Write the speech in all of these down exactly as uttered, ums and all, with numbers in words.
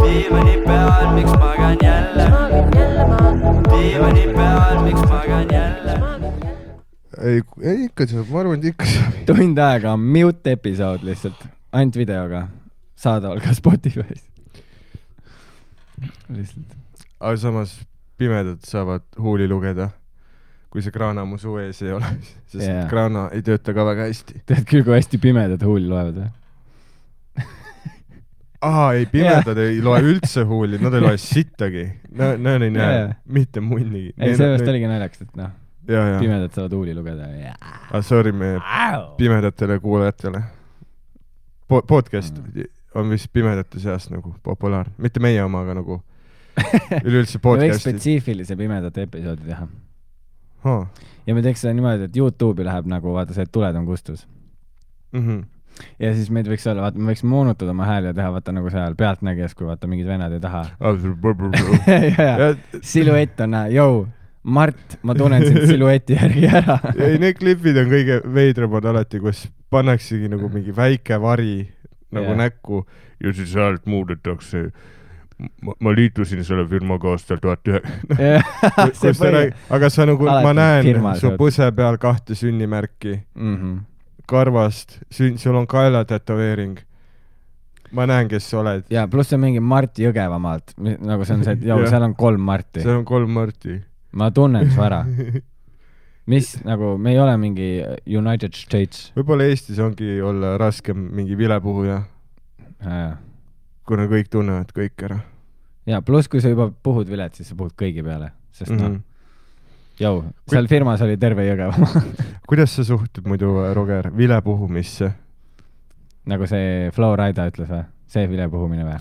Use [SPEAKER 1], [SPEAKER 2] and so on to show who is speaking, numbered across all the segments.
[SPEAKER 1] diivani peal, miks magan jälle? Diivani peal, miks magan jälle?
[SPEAKER 2] ei, ei ikka saab, ma arvan, et ikka saab.
[SPEAKER 3] Tund aega on mute episood lihtsalt, ainult videoga saadaval ka Spotify's. Lihtsalt.
[SPEAKER 2] Aga samas pimedad saavad huuli lugeda, kui see kraana mu suu ees ei ole, sest yeah. kraana ei tööta ka väga hästi.
[SPEAKER 3] Tead küll, kui hästi pimedad huuli loevad või?
[SPEAKER 2] Aa, ei, pimedad yeah. ei loe üldse huuli, nad ei loe sittagi. Nad no, ei näe yeah. mitte munnigi.
[SPEAKER 3] Ei, sellest oligi naljaks, et noh, ja, ja. pimedad saavad huuli lugeda.
[SPEAKER 2] Ah, sorry meie pimedatele kuulajatele. Po podcast mm. on vist pimedate seas nagu populaar. Mitte meie oma, aga nagu üleüldse podcastid.
[SPEAKER 3] Me võiks spetsiifilise pimedate episoodi teha.
[SPEAKER 2] Ha.
[SPEAKER 3] Ja me teeks seda niimoodi, et YouTube'i läheb nagu, vaata see, et tuled on kustus.
[SPEAKER 2] Mhm.
[SPEAKER 3] Ja siis meid võiks olla, vaata, me võiks moonutada oma hääli ja teha, vaata nagu seal pealtnägijas, kui vaata mingid venad ei taha. ja, ja. Siluett on näha, jõu, Mart, ma tunnen sind silueti järgi ära.
[SPEAKER 2] ei, need klipid on kõige veidramad alati, kus pannaksegi nagu mingi väike vari nagu yeah. näkku ja siis sealt muudetakse. Ma, ma liitusin selle firmaga aastal tuhat üheksa. aga sa nagu, alati ma näen firma, su põse peal kahte sünnimärki. Mhm. Karvast, sul on kaela tätoveering. Ma näen, kes sa oled.
[SPEAKER 3] Ja, pluss see on mingi Mart Jõgevamaalt. Nagu see on see, et jau, seal on kolm Marti.
[SPEAKER 2] Seal on kolm Marti.
[SPEAKER 3] Ma tunnen su ära. Mis, nagu, me ei ole mingi United States.
[SPEAKER 2] Võib-olla Eestis ongi olla raskem mingi vilepuhuja. Ja. Kuna kõik tunnevad kõik ära.
[SPEAKER 3] Ja, pluss kui sa juba puhud vilet, siis sa puhud kõigi peale. Sest mm -hmm. noh, Jou, seal firmas oli terve Jõgeva.
[SPEAKER 2] Kuidas sa suhtud muidu, Roger, vilepuhumisse?
[SPEAKER 3] Nagu see Flo Rida ütles või? See vilepuhumine või?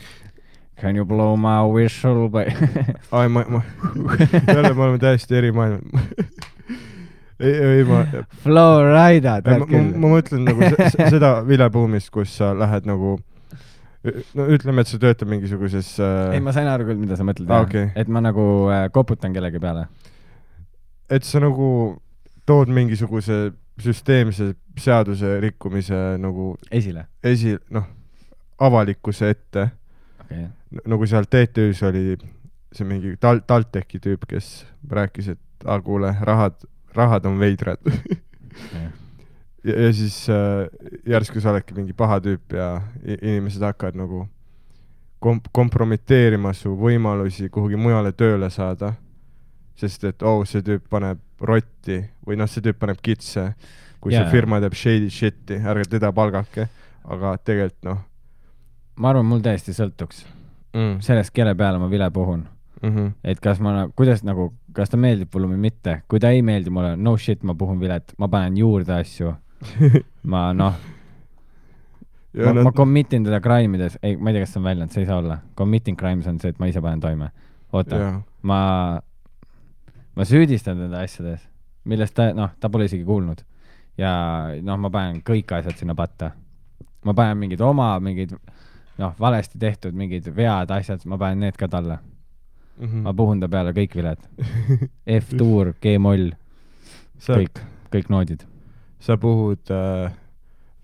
[SPEAKER 3] Can you blow my whistle?
[SPEAKER 2] Ai, ma... ma jälle me oleme täiesti eri maailma. ei, ei, ma...
[SPEAKER 3] Flo Rida, tead küll.
[SPEAKER 2] Ma, ma mõtlen nagu seda vilepuhumist, kus sa lähed nagu... No ütleme, et sa töötad mingisuguses...
[SPEAKER 3] Ei, ma sain aru küll, mida sa mõtled.
[SPEAKER 2] Ah, okay.
[SPEAKER 3] Et ma nagu koputan kellegi peale.
[SPEAKER 2] Et sa nagu tood mingisuguse süsteemse seaduse rikkumise nagu
[SPEAKER 3] esile,
[SPEAKER 2] esi, noh, avalikkuse ette.
[SPEAKER 3] Okay.
[SPEAKER 2] Nagu seal T T Üs oli see mingi tal Talteki tüüp, kes rääkis, et ah, kuule, rahad, rahad on veidrad. Okay. ja, ja siis äh, järsku sa oledki mingi paha tüüp ja inimesed hakkavad nagu komp kompromiteerima su võimalusi kuhugi mujale tööle saada. Sest et, oh, see tüüp paneb rotti või noh, see tüüp paneb kitse, kui yeah. see firma teeb shady shit'i, ärge teda palgake, aga tegelikult noh.
[SPEAKER 3] Ma arvan, mul täiesti sõltuks mm. sellest, kelle peale ma vile puhun. Mm -hmm. Et kas ma, kuidas nagu, kas ta meeldib mulle või mitte. Kui ta ei meeldi mulle, no shit, ma puhun vilet, ma panen juurde asju. ma noh, ma, no... ma commitin teda crime'ides, ei, ma ei tea, kas see on väljend, see ei saa olla. Committing crimes on see, et ma ise panen toime. Oota, yeah. ma... Ma süüdistan teda asjades, millest ta, noh, ta pole isegi kuulnud. Ja noh, ma panen kõik asjad sinna patta. Ma panen mingid oma, mingid, noh, valesti tehtud, mingid vead asjad, ma panen need ka talle. Mm -hmm. Ma puhun ta peale kõik viled. F-tuur, G-moll, kõik, kõik noodid. Sa
[SPEAKER 2] puhud, äh,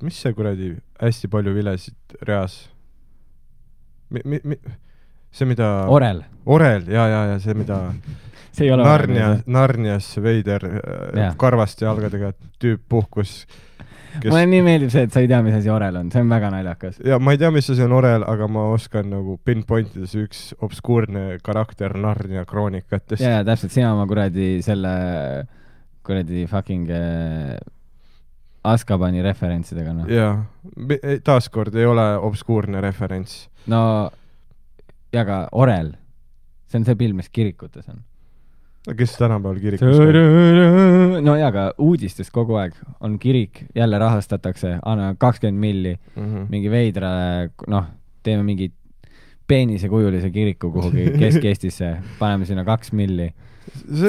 [SPEAKER 2] mis see kuradi hästi palju vilesid reas? Mi, mi, mi, see, mida...
[SPEAKER 3] Orel.
[SPEAKER 2] Orel, ja, ja, ja see, mida... Narnia, Narnias veider ja. Karvast ja algadega tüüp puhkus.
[SPEAKER 3] Kes... Mulle nii meeldib see, et sa ei tea, mis asi Orel on. See on väga naljakas.
[SPEAKER 2] Ja ma ei tea, mis asi on Orel, aga ma oskan nagu pinpointides üks obskuurne karakter Narnia kroonikatest.
[SPEAKER 3] Ja, ja täpselt, sina oma kuradi selle kuradi fucking äh, Azkabani referentsidega. No.
[SPEAKER 2] Ja, taaskord ei ole obskuurne referents.
[SPEAKER 3] No, ja ka Orel. See on see pill, mis kirikutes on.
[SPEAKER 2] Kes tänapäeval kirikus on?
[SPEAKER 3] No ja, aga uudistes kogu aeg on kirik, jälle rahastatakse, anna kakskümmend milli, mm -hmm. mingi veidra, noh, teeme mingi peenisekujulise kiriku kuhugi Kesk-Eestisse, paneme sinna kaks milli.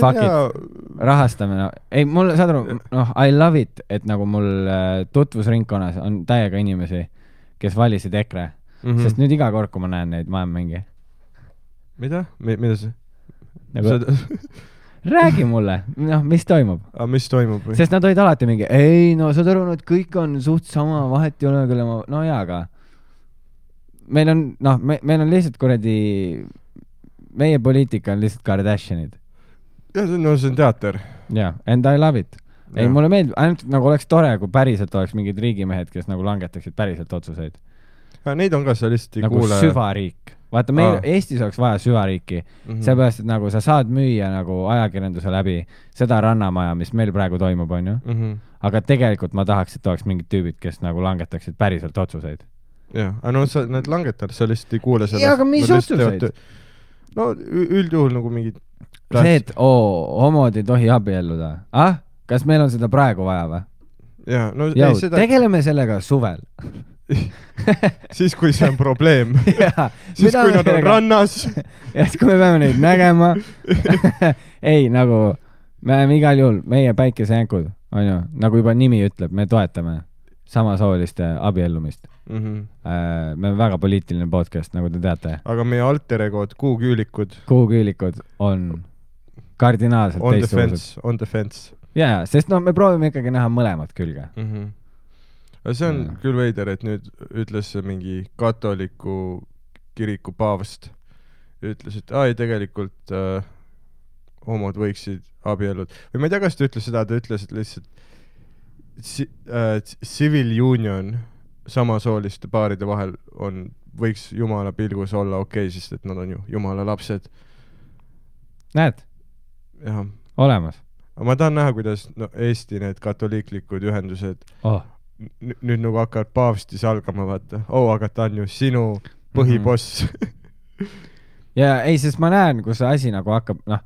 [SPEAKER 3] Fuck it, rahastame, no. Ei, mul, saad aru, noh, I love it, et nagu mul tutvusringkonnas on täiega inimesi, kes valisid EKRE, mm -hmm. sest nüüd iga kord, kui ma näen neid, ma olen mingi.
[SPEAKER 2] Mida? Mida see?
[SPEAKER 3] Nagu... Räägi mulle, noh, mis toimub?
[SPEAKER 2] A, mis toimub? Või?
[SPEAKER 3] Sest nad olid alati mingi, ei, no saad aru, et kõik on suht sama, vahet ei ole, kelle ma, no jaa, aga meil on, noh, me, meil on lihtsalt kuradi, meie poliitika on lihtsalt Kardashianid.
[SPEAKER 2] Ja, no see on teater.
[SPEAKER 3] Jaa, and I love it. Ei, ja. Mulle meeldib, ainult nagu oleks tore, kui päriselt oleks mingid riigimehed, kes nagu langetaksid päriselt otsuseid.
[SPEAKER 2] Ja, neid on ka sa lihtsalt ei
[SPEAKER 3] nagu
[SPEAKER 2] kuule.
[SPEAKER 3] Nagu süvariik. Vaata, meil Aa. Eestis oleks vaja süvariiki. Mm-hmm. Seepärast, et nagu sa saad müüa nagu ajakirjanduse läbi seda rannamaja, mis meil praegu toimub, on ju. Mm-hmm. Aga tegelikult ma tahaks, et oleks mingid tüübid, kes nagu langetaksid päriselt otsuseid.
[SPEAKER 2] Jah, aga no sa need langetad, sa lihtsalt ei kuule sellest.
[SPEAKER 3] Jaa, aga mis otsuseid?
[SPEAKER 2] No üldjuhul nagu mingid...
[SPEAKER 3] See, et oo, homod ei tohi abielluda. Ah? Kas meil on seda praegu vaja või?
[SPEAKER 2] Jaa, no
[SPEAKER 3] Jau,
[SPEAKER 2] ei seda...
[SPEAKER 3] tegeleme sellega suvel.
[SPEAKER 2] Siis, kui see on probleem.
[SPEAKER 3] Ja,
[SPEAKER 2] siis, kui nad on rannas.
[SPEAKER 3] Ja siis, kui me peame neid nägema. Ei, nagu, me oleme igal juhul, meie päikesejänkud, on ju, nagu juba nimi ütleb, me toetame samasooliste abiellumist. Mm-hmm. Äh, me oleme väga poliitiline podcast, nagu te teate.
[SPEAKER 2] Aga meie alteregod, kuuküülikud.
[SPEAKER 3] Kuuküülikud on kardinaalselt
[SPEAKER 2] on
[SPEAKER 3] teistsugused.
[SPEAKER 2] Defense, on defense.
[SPEAKER 3] Jaa, sest no me proovime ikkagi näha mõlemat külge.
[SPEAKER 2] Mm-hmm. See on ja. Küll veider, et nüüd ütles mingi katoliku kiriku paavst. Ütles, et ai, tegelikult äh, homod võiksid abiellud. Või ma ei tea, kas ta ütles seda, ta ütles, et lihtsalt si, äh, civil union samasooliste paaride vahel on, võiks jumala pilgus olla okei, okay, sest et nad on ju jumala lapsed.
[SPEAKER 3] Näed?
[SPEAKER 2] Jah.
[SPEAKER 3] Olemas.
[SPEAKER 2] Aga ma tahan näha, kuidas no, Eesti need katoliiklikud ühendused
[SPEAKER 3] oh.
[SPEAKER 2] n- nüüd nagu hakkavad paavsti salgama, vaata. Oh, aga ta on ju sinu põhiboss. Mm-hmm.
[SPEAKER 3] Ja ei, sest ma näen, kus see asi nagu hakkab, noh,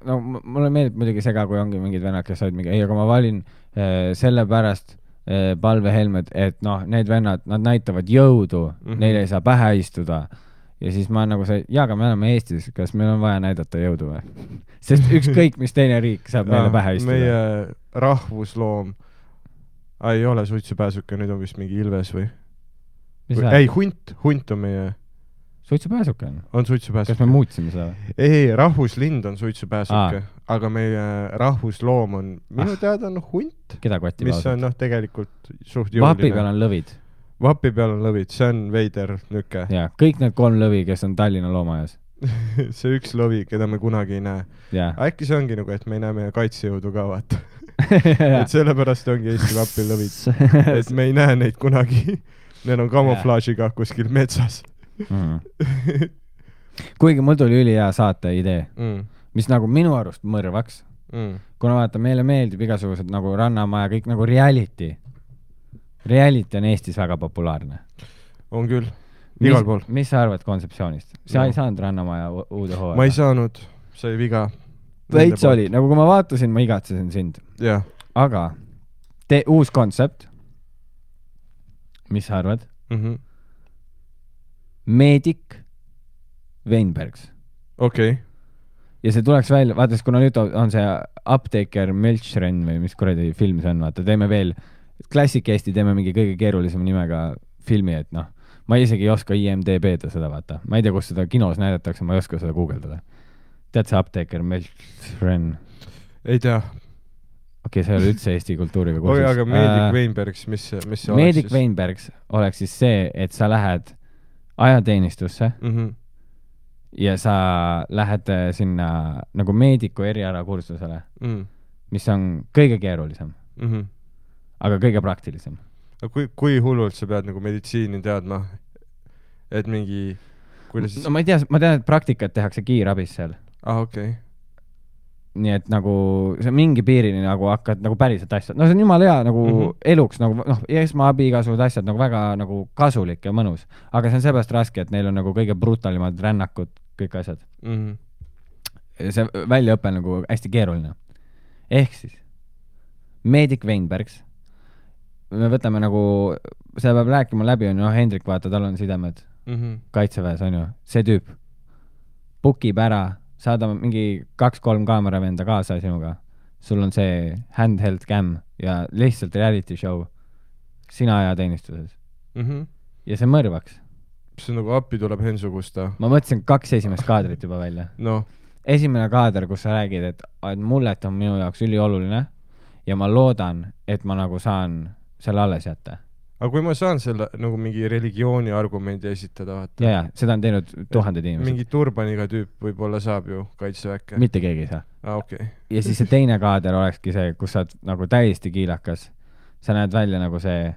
[SPEAKER 3] no mulle meeldib muidugi sega, kui ongi mingid vennad, kes olid mingi, ei, aga ma valin äh, selle pärast äh, palvehelmed, et noh, need vennad, nad näitavad jõudu, mm-hmm. neile ei saa pähe istuda. Ja siis ma nagu see, jaa, aga me oleme Eestis, kas meil on vaja näidata jõudu või? Sest ükskõik, mis teine riik saab meile pähe istuda.
[SPEAKER 2] Meie rahvusloom ei ole suitsupääsuke, nüüd on vist mingi ilves või? või ei, hunt, hunt on meie...
[SPEAKER 3] Suitsupääsuke on?
[SPEAKER 2] On suitsupääsuke.
[SPEAKER 3] Kas me muutsime seda?
[SPEAKER 2] Ei, ei, rahvuslind on suitsupääsuke, Aa. aga meie rahvusloom on, minu ah. teada on hunt.
[SPEAKER 3] Keda kotti
[SPEAKER 2] mis
[SPEAKER 3] pausad?
[SPEAKER 2] on noh, tegelikult suht jõuline.
[SPEAKER 3] Vapi peal on lõvid.
[SPEAKER 2] Vapi peal on lõvid, see on veider nüke.
[SPEAKER 3] Ja, kõik need kolm lõvi, kes on Tallinna loomajas.
[SPEAKER 2] See üks lõvi, keda me kunagi ei näe.
[SPEAKER 3] Ja.
[SPEAKER 2] Äkki see ongi nagu, et me ei näe meie kaitsejõudu ka, vaata. Et sellepärast ongi Eesti Vapi lõvid. Et me ei näe neid kunagi. Need on kamuflaažiga kuskil metsas.
[SPEAKER 3] Mm. Kuigi mul tuli üli hea saate idee, mm. mis nagu minu arust mõrvaks. Mm. Kuna vaata, meile meeldib igasugused nagu rannamaja, kõik nagu reality. Reality on Eestis väga populaarne.
[SPEAKER 2] On küll. Igal pool.
[SPEAKER 3] Mis sa arvad kontseptsioonist? Sa no. ei saanud rannamaja uude hooaja?
[SPEAKER 2] Ma ei saanud. See ei viga.
[SPEAKER 3] Veits oli. Nagu kui ma vaatasin, ma igatsesin sind.
[SPEAKER 2] Yeah.
[SPEAKER 3] Aga tee uus kontsept. Mis sa arvad? Mm-hmm. Meedik Weinbergs.
[SPEAKER 2] Okei. Okay.
[SPEAKER 3] Ja see tuleks välja, vaatas, kuna nüüd on see Apteeker Melchren või mis kuradi film see on, vaata, teeme veel Klassik Eesti, teeme mingi kõige keerulisema nimega filmi, et noh, ma isegi ei oska I M D B-da seda, vaata. Ma ei tea, kus seda kinos näidatakse, ma ei oska seda guugeldada. Tead see Apteeker Melchren?
[SPEAKER 2] Ei tea.
[SPEAKER 3] Okei, okay, see oli üldse Eesti kultuuriga kursus.
[SPEAKER 2] Oi, aga Meedik uh, Weinbergs, mis, mis see
[SPEAKER 3] Meedik
[SPEAKER 2] oleks siis?
[SPEAKER 3] Weinbergs oleks siis see, et sa lähed ajateenistusse mm-hmm. ja sa lähed sinna nagu meediku eriala kursusele, mm. mis on kõige keerulisem. Mm-hmm. Aga kõige praktilisem.
[SPEAKER 2] Kui, kui hullult sa pead nagu meditsiini teadma, et mingi... Kuidas...
[SPEAKER 3] No ma ei tea, ma tean, et praktikat tehakse kiirabis seal.
[SPEAKER 2] Ah, okei. Okay.
[SPEAKER 3] Nii et nagu see mingi piirini nagu hakkad nagu päriselt asjad. No see on jumala hea nagu mm-hmm. eluks, nagu noh, esmaabi igasugused asjad nagu väga nagu kasulik ja mõnus. Aga see on seepärast raske, et neil on nagu kõige brutalimad rännakud, kõik asjad. Mm-hmm. See väljaõpe on nagu hästi keeruline. Ehk siis Meedik Weinbergs me võtame nagu, see peab rääkima läbi, on ju, Hendrik, vaata, tal on sidemed mm-hmm. kaitseväes, on ju, see tüüp bukib ära, saada mingi kaks-kolm kaameravenda kaasa sinuga, sul on see handheld cam ja lihtsalt reality show sina ajateenistuses mm-hmm. ja see mõrvaks.
[SPEAKER 2] See nagu appi tuleb Hensugusta.
[SPEAKER 3] Ma mõtlesin kaks esimest kaadrit juba välja.
[SPEAKER 2] No.
[SPEAKER 3] Esimene kaader, kus sa räägid, et, et mullet on minu jaoks ülioluline ja ma loodan, et ma nagu saan selle alles jätta.
[SPEAKER 2] aga kui ma saan selle nagu mingi religiooni argumendi esitada, vaata.
[SPEAKER 3] ja, ja, seda on teinud tuhanded inimesed.
[SPEAKER 2] Mingi turbaniga tüüp võib-olla saab ju kaitseväkke.
[SPEAKER 3] Mitte keegi ei saa.
[SPEAKER 2] Ah, okay.
[SPEAKER 3] Ja siis see teine kaader olekski see, kus sa oled nagu täiesti kiilakas. Sa näed välja nagu see,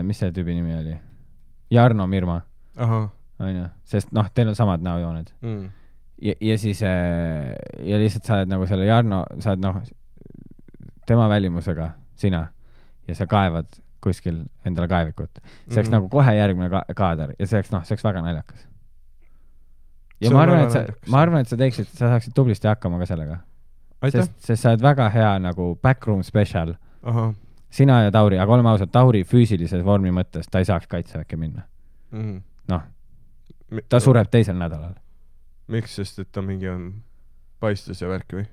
[SPEAKER 3] mis see tüübi nimi oli? Jarno Mirma.
[SPEAKER 2] Aha.
[SPEAKER 3] On ju? Sest noh, teil on samad näojooned. Mm. Ja, ja siis ja lihtsalt sa oled nagu selle Jarno, sa oled noh, tema välimusega, sina, ja sa kaevad kuskil endale kaevikut. See oleks mm. nagu kohe järgmine ka kaader ja see oleks, noh, see oleks väga naljakas. Ja ma arvan, et sa, ma arvan, et sa teeksid, sa saaksid tublisti hakkama ka sellega. Sest, sest sa oled väga hea nagu backroom special.
[SPEAKER 2] Aha.
[SPEAKER 3] Sina ja Tauri, aga oleme ausad, Tauri füüsilises vormi mõttes, ta ei saaks kaitseväkke minna. Mm. Noh, ta sureb teisel nädalal.
[SPEAKER 2] Miks, sest et ta mingi on paistus ja värk või?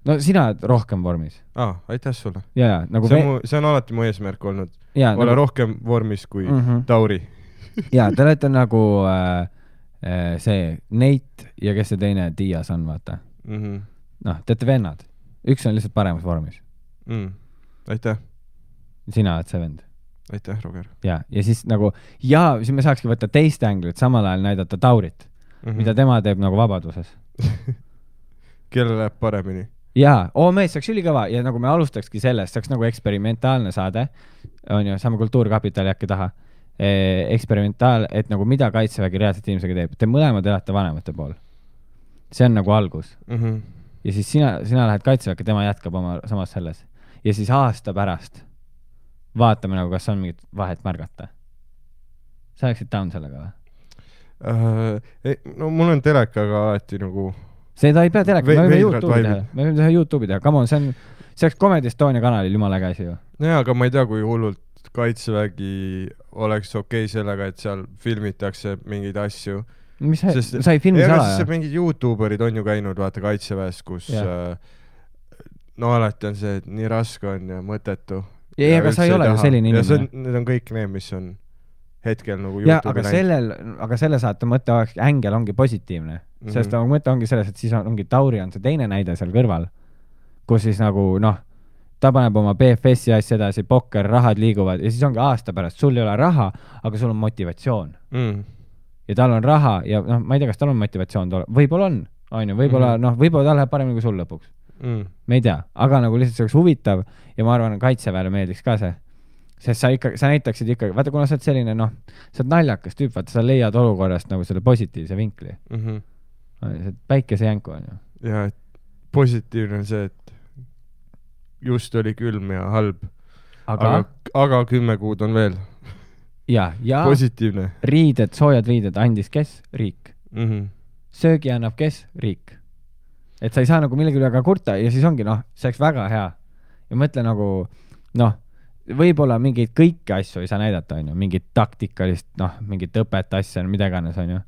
[SPEAKER 3] No sina oled rohkem vormis.
[SPEAKER 2] Aa, aitäh sulle.
[SPEAKER 3] Ja, nagu
[SPEAKER 2] see, on mu, see on alati mu eesmärk olnud.
[SPEAKER 3] Ja,
[SPEAKER 2] olla
[SPEAKER 3] nagu...
[SPEAKER 2] rohkem vormis kui mm -hmm. Tauri.
[SPEAKER 3] ja, te olete nagu äh, äh, see Nate ja kes see teine Dias on, vaata. Mm -hmm. Noh, te olete vennad. Üks on lihtsalt paremas vormis.
[SPEAKER 2] Mm. Aitäh.
[SPEAKER 3] Sina oled see vend.
[SPEAKER 2] Aitäh, Roger.
[SPEAKER 3] Ja, ja siis nagu, ja siis me saakski võtta teist änglit, samal ajal näidata Taurit, mm -hmm. mida tema teeb nagu vabaduses.
[SPEAKER 2] Kelle läheb paremini?
[SPEAKER 3] Jaa, oo mees, see oleks ülikõva ja nagu me alustakski sellest, see oleks nagu eksperimentaalne saade, on ju, saame Kultuurkapitali äkki taha, e, eksperimentaal, et nagu mida kaitsevägi reaalselt inimesega teeb. Te mõlemad elate vanemate pool. See on nagu algus. Mm -hmm. Ja siis sina, sina lähed kaitseväkke, tema jätkab oma samas selles. Ja siis aasta pärast vaatame nagu, kas on mingit vahet märgata. Sa oleksid down sellega või?
[SPEAKER 2] Uh, no mul on telekaga alati nagu
[SPEAKER 3] seda ei pea teleka, me võime YouTube'i teha. Me võime teha YouTube'i teha. Come on, see on, see oleks Comedy Estonia kanalil jumala käsi ju.
[SPEAKER 2] Jaa, aga ma ei tea, kui hullult kaitsevägi oleks okei okay sellega, et seal filmitakse mingeid asju.
[SPEAKER 3] Mis sa, Sest, sa ei filmi
[SPEAKER 2] ja,
[SPEAKER 3] sala,
[SPEAKER 2] jah? Mingid YouTuberid on ju käinud, vaata, kaitseväes, kus äh, no alati on see, et nii raske on ja mõtetu.
[SPEAKER 3] Ja, ja aga sa ei ole ju selline inimene.
[SPEAKER 2] Ja see, need on kõik need, mis on hetkel nagu
[SPEAKER 3] YouTube'i näinud. Aga sellel, aga selle saate mõte oleks, ängel ongi positiivne. Mm -hmm. Sest nagu mõte ongi selles, et siis on, ongi Tauri on see teine näide seal kõrval, kus siis nagu, noh, ta paneb oma B F S-i asja edasi, pokker, rahad liiguvad ja siis ongi aasta pärast, sul ei ole raha, aga sul on motivatsioon. Mm. Ja tal on raha ja noh, ma ei tea, kas tal on motivatsioon, võib-olla on, on ju, võib-olla, mm. noh, võib-olla ta läheb paremini kui sul lõpuks. Mm. Me ei tea, aga nagu lihtsalt see oleks huvitav ja ma arvan, kaitseväele meeldiks ka see. Sest sa ikka, sa näitaksid ikkagi, vaata, kuna sa oled selline, noh, sa oled naljakas tüüp, vaata, sa leiad olukorrast nagu selle positiivse vinkli. Mm -hmm. See päikesejänku on ju.
[SPEAKER 2] Ja, et positiivne on see, et just oli külm ja halb. Aga, aga, aga kümme kuud on veel.
[SPEAKER 3] Ja, ja
[SPEAKER 2] positiivne.
[SPEAKER 3] Riided, soojad riided andis kes? Riik. Mm -hmm. Söögi annab kes? Riik. Et sa ei saa nagu millegi üle ka kurta ja siis ongi, noh, see oleks väga hea. Ja mõtle nagu, noh, võib-olla mingeid kõiki asju ei saa näidata, on ju, mingit taktikalist, noh, mingit õpet asja, mida iganes, on ju.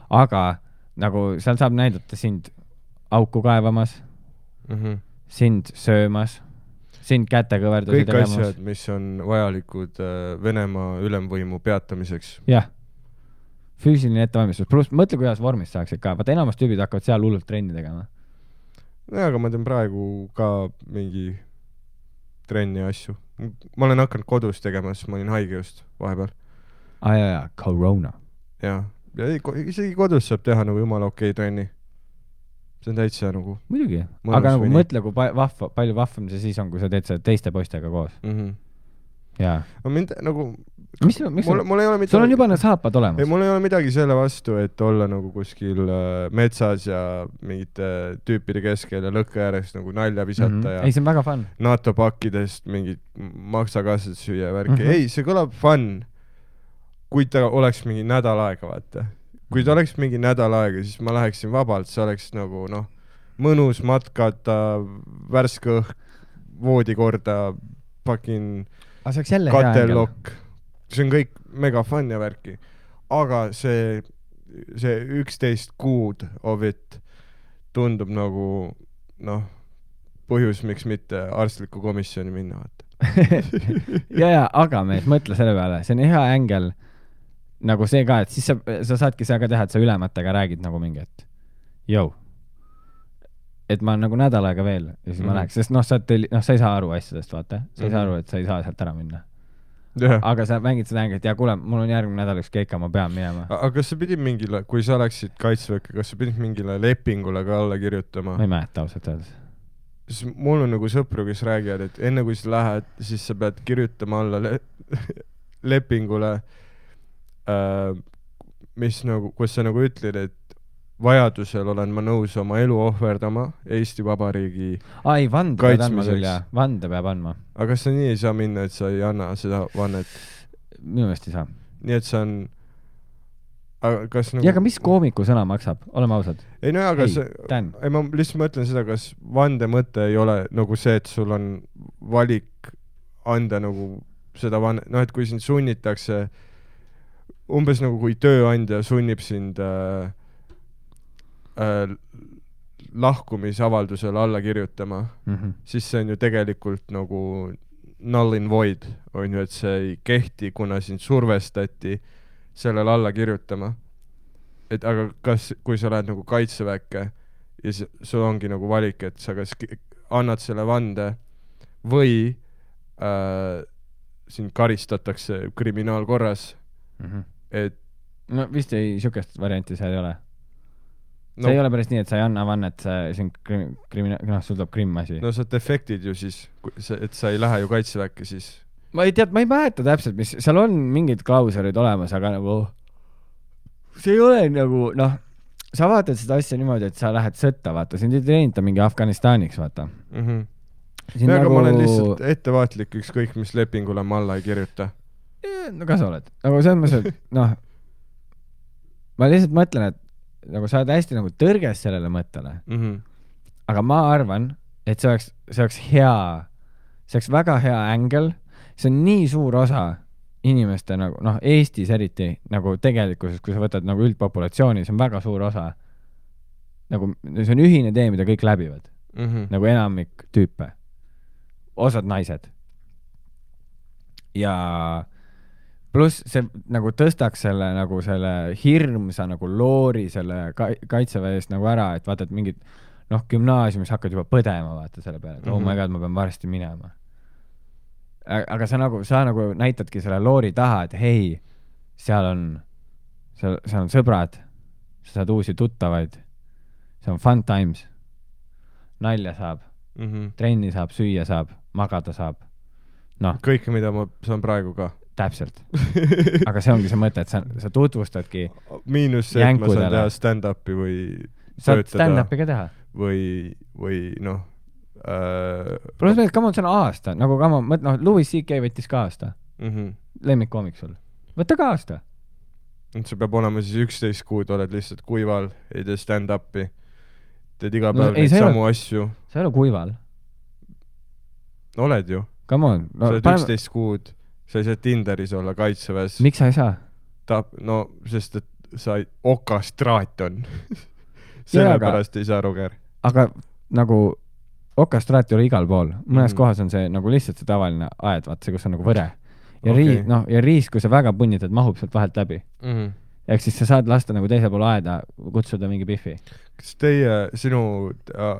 [SPEAKER 3] Aga nagu seal saab näidata sind auku kaevamas, mm -hmm. sind söömas, sind kätekõverdusi
[SPEAKER 2] kõik tegemas. Asjad, mis on vajalikud äh, Venemaa ülemvõimu peatamiseks.
[SPEAKER 3] Jah. Füüsiline ettevalmistus. Plus mõtle, kuidas vormis saaksid ka. Vaata, enamus tüübid hakkavad seal hullult trenni tegema.
[SPEAKER 2] Ja, aga ma teen praegu ka mingi trenni asju. Ma olen hakanud kodus tegema, sest ma olin haige just vahepeal.
[SPEAKER 3] Ah, ja, ja, corona.
[SPEAKER 2] Ja, ja isegi kodus saab teha nagu jumala okei trenni. See on täitsa nagu...
[SPEAKER 3] Muidugi, aga nagu nii. Mõtle, kui vahva, palju vahvam see siis on, kui sa teed seda teiste poistega koos. Mm -hmm. Jaa.
[SPEAKER 2] No mind nagu...
[SPEAKER 3] Mis, mis mul, mul ei ole midagi... Sul on juba need saapad olemas.
[SPEAKER 2] Ei, mul ei ole midagi selle vastu, et olla nagu kuskil äh, metsas ja mingite äh, tüüpide keskel ja lõkke ääres nagu nalja visata mm -hmm. ja...
[SPEAKER 3] Ei, see on väga fun.
[SPEAKER 2] NATO pakkidest mingid maksakassad süüa värki. Mm -hmm. Ei, see kõlab fun, kui ta oleks mingi nädal aega, vaata. Kui ta oleks mingi nädal aega, siis ma läheksin vabalt, see oleks nagu, noh, mõnus matkata, värske õhk, voodikorda, fucking katellokk. See on kõik mega fun ja värki. Aga see, see üksteist kuud of it tundub nagu, noh, põhjus, miks mitte arstliku komisjoni minna, vaata.
[SPEAKER 3] ja, ja, aga mees, mõtle selle peale, see on hea ängel nagu see ka, et siis sa, sa saadki seda ka teha, et sa ülematega räägid nagu mingi, et jõu, et ma nagu nädal aega veel ja siis mm -hmm. ma läheks, sest noh, sa, noh, sa ei saa aru asjadest, vaata, sa ei mm -hmm. saa aru, et sa ei saa sealt ära minna.
[SPEAKER 2] yeah.
[SPEAKER 3] aga sa mängid seda hängi, et ja kuule, mul on järgmine nädal üks keika, ma pean minema.
[SPEAKER 2] aga kas sa pidid mingile, kui sa oleksid kaitseväkke, kas sa pidid mingile lepingule ka alla kirjutama?
[SPEAKER 3] ma ei mäleta ausalt öeldes.
[SPEAKER 2] Mul on nagu sõpru, kes räägivad, et enne kui sa lähed, siis sa pead kirjutama alla le lepingule, äh, mis nagu, kus sa nagu ütled, et vajadusel olen ma nõus oma elu ohverdama Eesti Vabariigi
[SPEAKER 3] ai, vande peab andma küll, jah. Vande peab andma.
[SPEAKER 2] aga kas sa nii ei saa minna, et sa ei anna seda vannet?
[SPEAKER 3] Minu meelest ei saa.
[SPEAKER 2] Nii et see on... Aga kas nagu...
[SPEAKER 3] ja aga mis koomiku sõna maksab? Oleme ausad.
[SPEAKER 2] Ei no aga
[SPEAKER 3] ei,
[SPEAKER 2] see...
[SPEAKER 3] Dan.
[SPEAKER 2] Ei, ma lihtsalt mõtlen seda, kas vande mõte ei ole nagu see, et sul on valik anda nagu seda vannet, noh, et kui sind sunnitakse umbes nagu kui tööandja sunnib sind äh, äh, lahkumisavaldusele alla kirjutama, mm -hmm. siis see on ju tegelikult nagu null in void, on ju, et see ei kehti, kuna sind survestati sellele alla kirjutama. Et aga kas, kui sa lähed nagu kaitseväkke ja sul ongi nagu valik, et sa kas annad selle vande või äh, sind karistatakse kriminaalkorras, mm -hmm. et
[SPEAKER 3] no vist ei, siukest varianti seal ei ole. No, see ei ole päris nii, et sa ei anna vannet, see on krim, krimina-, noh, sul tuleb krimm asi.
[SPEAKER 2] No sa defektid ju siis, et sa ei lähe ju kaitseväkke siis.
[SPEAKER 3] Ma ei tead, ma ei mäleta täpselt, mis, seal on mingid klauserid olemas, aga nagu see ei ole nagu, noh, sa vaatad seda asja niimoodi, et sa lähed sõtta, vaata, sind ei treenita mingi Afganistaniks, vaata. Mm -hmm.
[SPEAKER 2] Ja, nagu... aga ma olen lihtsalt ettevaatlik, ükskõik mis lepingule ma alla ei kirjuta.
[SPEAKER 3] No ka sa oled. Nagu see on mõttes, et noh, ma lihtsalt mõtlen, et nagu sa oled hästi nagu tõrges sellele mõttele. Mm -hmm. Aga ma arvan, et see oleks, see oleks hea, see oleks väga hea ängel. See on nii suur osa inimeste nagu, noh, Eestis eriti nagu tegelikkuses, kui sa võtad nagu üldpopulatsiooni, see on väga suur osa. Nagu see on ühine tee, mida kõik läbivad. Mm -hmm. Nagu enamik tüüpe. Osad naised. Ja pluss see nagu tõstaks selle nagu selle hirmsa nagu loori selle ka kaitseväe eest nagu ära, et vaata, et mingid noh, gümnaasiumis hakkad juba põdema, vaata selle peale, et mm -hmm. oh my god, ma pean varsti minema. Aga sa nagu, sa nagu näitadki selle loori taha, et hei, seal on, seal, seal on sõbrad, sa saad uusi tuttavaid, see on fun times, nalja saab, mm -hmm. trenni saab, süüa saab, magada saab. No.
[SPEAKER 2] Kõike, mida ma saan praegu ka.
[SPEAKER 3] Täpselt. Aga see ongi see mõte, et sa, sa tutvustadki
[SPEAKER 2] miinus see, et ma saan teha stand-upi või
[SPEAKER 3] saad stand-upi ka teha.
[SPEAKER 2] Või, või noh äh...
[SPEAKER 3] pluss meil, come on, see on aasta. Nagu come on, noh, Louis C K võttis ka aasta. Mm -hmm. Lemmikkoomik sul. Võtta ka aasta.
[SPEAKER 2] See peab olema siis üksteist kuud, oled lihtsalt kuival, ei tee stand-upi. Teed iga päev no, neid samu ole, asju.
[SPEAKER 3] Sa ei ole kuival.
[SPEAKER 2] Oled ju.
[SPEAKER 3] Come on.
[SPEAKER 2] No, sa oled paneme... üksteist kuud. Sa ei saa Tinderis olla kaitseväes.
[SPEAKER 3] Miks sa ei saa?
[SPEAKER 2] Ta, no, sest et sa ei, okastraat on. Sellepärast ei saa, Roger.
[SPEAKER 3] Aga nagu okastraat ei ole igal pool. Mõnes mm -hmm. kohas on see nagu lihtsalt see tavaline aed, vaat see, kus on nagu võre. Ja, okay. rii, no, ja riis, kui sa väga punnitad, mahub sealt vahelt läbi. Mm -hmm. Ehk siis sa saad lasta nagu teise poole aeda, kutsuda mingi pihvi.
[SPEAKER 2] Kas teie, sinu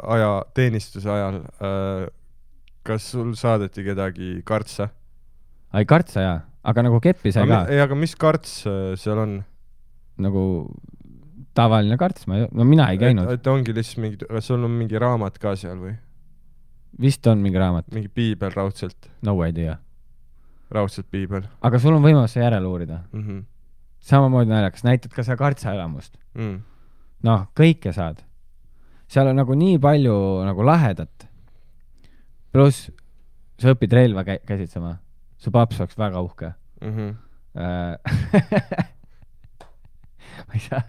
[SPEAKER 2] aja, teenistuse ajal, äh, kas sul saadeti kedagi kartsa?
[SPEAKER 3] Ai, kartsa jaa, aga nagu keppi sai ka.
[SPEAKER 2] Ei, aga mis karts seal on?
[SPEAKER 3] Nagu tavaline karts, ma ei, no mina ei käinud.
[SPEAKER 2] Et, et ongi lihtsalt mingi, kas sul on mingi raamat ka seal või?
[SPEAKER 3] Vist on mingi raamat.
[SPEAKER 2] Mingi piibel raudselt?
[SPEAKER 3] No idea.
[SPEAKER 2] Raudselt piibel.
[SPEAKER 3] Aga sul on võimalus see järele uurida. Mm -hmm. Samamoodi naljakas, näitad ka seda kartsaelamust. Mm. Noh, kõike saad. Seal on nagu nii palju nagu lahedat. Pluss sa õpid relva kä käsitsema. Su paps oleks väga uhke. Mm -hmm. ma ei saa,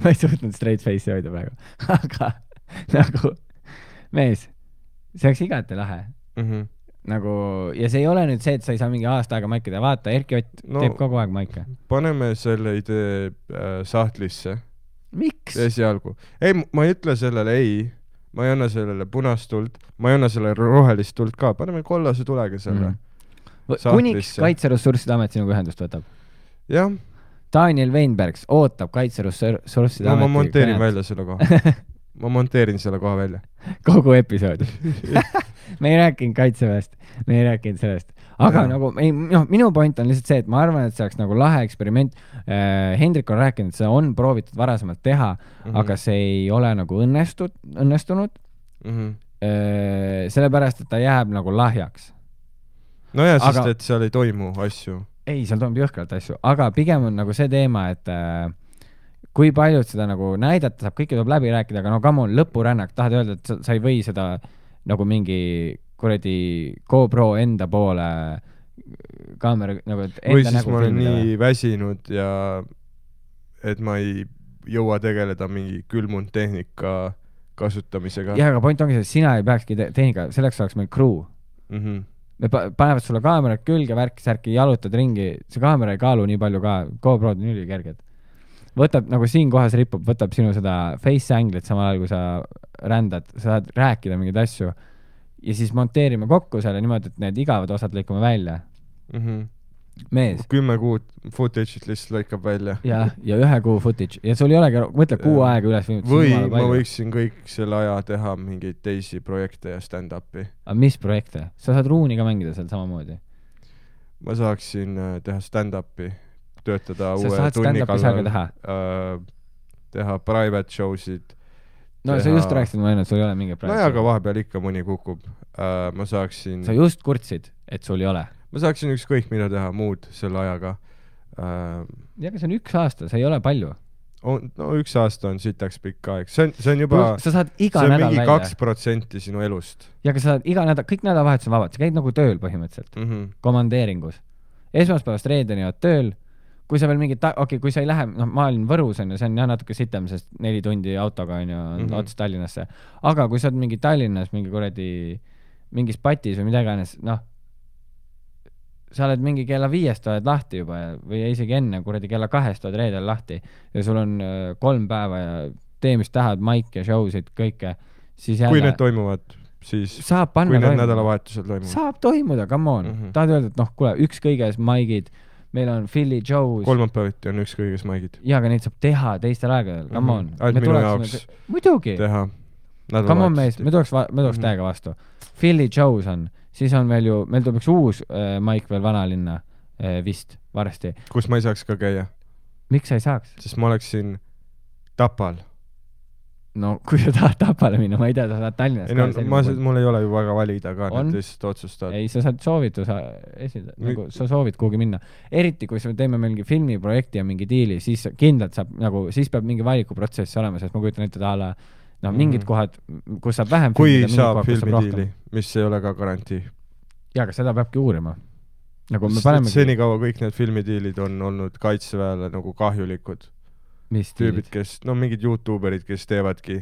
[SPEAKER 3] ma ei suutnud straight face'i hoida praegu. Aga nagu mees, see oleks igati lahe. Mm -hmm. Nagu, ja see ei ole nüüd see, et sa ei saa mingi aasta aega maika teha. Vaata, Erki Ott no, teeb kogu aeg maika.
[SPEAKER 2] Paneme selle idee äh, sahtlisse.
[SPEAKER 3] Miks?
[SPEAKER 2] Esialgu. Ei, ma ei ütle sellele ei. Ma ei anna sellele punast tuld. Ma ei anna sellele rohelist tuld ka. Paneme kollase tulega selle mm.
[SPEAKER 3] Kuniks Kaitseressursside Amet sinuga ühendust võtab.
[SPEAKER 2] Jah.
[SPEAKER 3] Daniel Weinbergs ootab Kaitseressursside
[SPEAKER 2] no, Ameti. Ma monteerin kõned. Välja selle koha. Ma monteerin selle koha välja.
[SPEAKER 3] Kogu episoodi. Me ei rääkinud kaitseväest, me ei rääkinud sellest. aga ja. nagu ei, noh, minu point on lihtsalt see, et ma arvan, et see oleks nagu lahe eksperiment. Hendrik on rääkinud, et see on proovitud varasemalt teha, mm -hmm. aga see ei ole nagu õnnestud, õnnestunud mm. -hmm. Sellepärast, et ta jääb nagu lahjaks.
[SPEAKER 2] No ja, sest aga... et seal ei toimu asju.
[SPEAKER 3] Ei, seal toimub jõhkralt asju, aga pigem on nagu see teema, et äh, kui paljud seda nagu näidata saab, kõike tuleb läbi rääkida, aga no come on, lõpurännak, tahad öelda, et sa, sa ei või seda nagu mingi kuradi GoPro enda poole kaamera nagu enda
[SPEAKER 2] või siis
[SPEAKER 3] nägu
[SPEAKER 2] ma olen
[SPEAKER 3] filmida.
[SPEAKER 2] nii väsinud ja et ma ei jõua tegeleda mingi külmunud tehnika kasutamisega.
[SPEAKER 3] Jah, aga point ongi see, et sina ei peakski te tehnika, selleks oleks meil crew. Mm -hmm. Me pa panevad sulle kaamerad külge, värki, särki, jalutad ringi, see kaamera ei kaalu nii palju ka, GoPro-d on ülikerged. Võtab, nagu siin kohas ripub, võtab sinu seda face angle'it samal ajal, kui sa rändad, sa saad rääkida mingeid asju ja siis monteerime kokku selle niimoodi, et need igavad osad lõikame välja. Mm -hmm. Mees.
[SPEAKER 2] Kümme kuud footage'it lihtsalt lõikab välja.
[SPEAKER 3] Ja, ja ühe kuu footage. Ja sul ei olegi, mõtle kuu aega üles.
[SPEAKER 2] Või ma võiksin kõik selle aja teha mingeid teisi projekte ja stand-upi.
[SPEAKER 3] Aga mis projekte? Sa saad ruuni ka mängida seal samamoodi?
[SPEAKER 2] Ma saaksin teha stand-upi, töötada
[SPEAKER 3] sa
[SPEAKER 2] uue tunni
[SPEAKER 3] kallal. Teha?
[SPEAKER 2] Äh, teha private show'sid.
[SPEAKER 3] No teha... sa just rääkisid ma enne, et sul ei ole mingi
[SPEAKER 2] private no show. No aga vahepeal ikka mõni kukub. Äh, ma saaksin...
[SPEAKER 3] Sa just kurtsid, et sul ei ole?
[SPEAKER 2] Ma saaksin ükskõik mida teha muud selle ajaga.
[SPEAKER 3] Äh, ja, aga see on üks aasta, see ei ole palju.
[SPEAKER 2] On, no üks aasta on sitaks pikk aeg. See on, see on juba...
[SPEAKER 3] Sa saad iga
[SPEAKER 2] see on
[SPEAKER 3] nädal
[SPEAKER 2] mingi kaks protsenti sinu elust.
[SPEAKER 3] Ja, aga sa saad iga nädal, kõik nädalavahetused on vabad. Sa käid nagu tööl põhimõtteliselt. Mm -hmm. Komandeeringus. Esmaspäevast reedeni oled tööl. Kui sa veel mingi... Okei, okay, kui sa ei lähe... No, ma olin Võrus, on ju, see on jah natuke sitem, sest neli tundi autoga on ju mm -hmm. ots Tallinnasse. Aga kui sa oled mingi Tallinnas, mingi kuradi... Mingis patis või mida iganes, noh... Sa oled mingi kella viiest oled lahti juba ja, või isegi enne kuradi kella kahest oled reedel lahti ja sul on äh, kolm päeva ja tee, mis tahad, maik ja show'sid, kõike, siis jälle...
[SPEAKER 2] Kui need toimuvad, siis...
[SPEAKER 3] Saab panna
[SPEAKER 2] kui need
[SPEAKER 3] toimuda.
[SPEAKER 2] nädalavahetused toimuvad.
[SPEAKER 3] Saab toimuda, come on. Mm -hmm. Tahad öelda, et noh, kuule, üks kõiges maigid, meil on Philly Joe's...
[SPEAKER 2] Kolmapäeviti on üks kõiges maigid.
[SPEAKER 3] Jaa, aga neid saab teha teistel aegadel, come on. Mm -hmm.
[SPEAKER 2] Ainult minu jaoks
[SPEAKER 3] muidugi.
[SPEAKER 2] teha
[SPEAKER 3] come on, mees, me tuleks, me tuleks mm -hmm. täiega vastu. Philly Joe's on, siis on veel ju, meil tuleb üks uus äh, maik veel Vanalinna. Vist, varsti.
[SPEAKER 2] Kus ma ei saaks ka käia?
[SPEAKER 3] Miks sa ei saaks?
[SPEAKER 2] Sest ma oleksin Tapal.
[SPEAKER 3] No, kui sa tahad Tapale minna, ma ei tea, sa saad Tallinnas.
[SPEAKER 2] Ei, no, ma, mul ei ole ju väga valida ka, need lihtsalt otsustad.
[SPEAKER 3] Ei, sa saad soovituse esida, nagu sa soovid kuhugi minna. Eriti, kui me teeme mingi filmiprojekti ja mingi diili, siis kindlalt saab, nagu, siis peab mingi valikuprotsess olema, sest ma kujutan ette tahala, noh, mingid mm -hmm. kohad, kus saab vähem
[SPEAKER 2] kui filmida, saab filmidiili, mis ei ole ka garantii.
[SPEAKER 3] Jaa, aga seda peabki uurima. Nagu me
[SPEAKER 2] panemegi... Senikaua kõik need filmidiilid on olnud kaitseväele nagu kahjulikud.
[SPEAKER 3] Mis
[SPEAKER 2] tüübid, kes, no mingid youtuberid, kes teevadki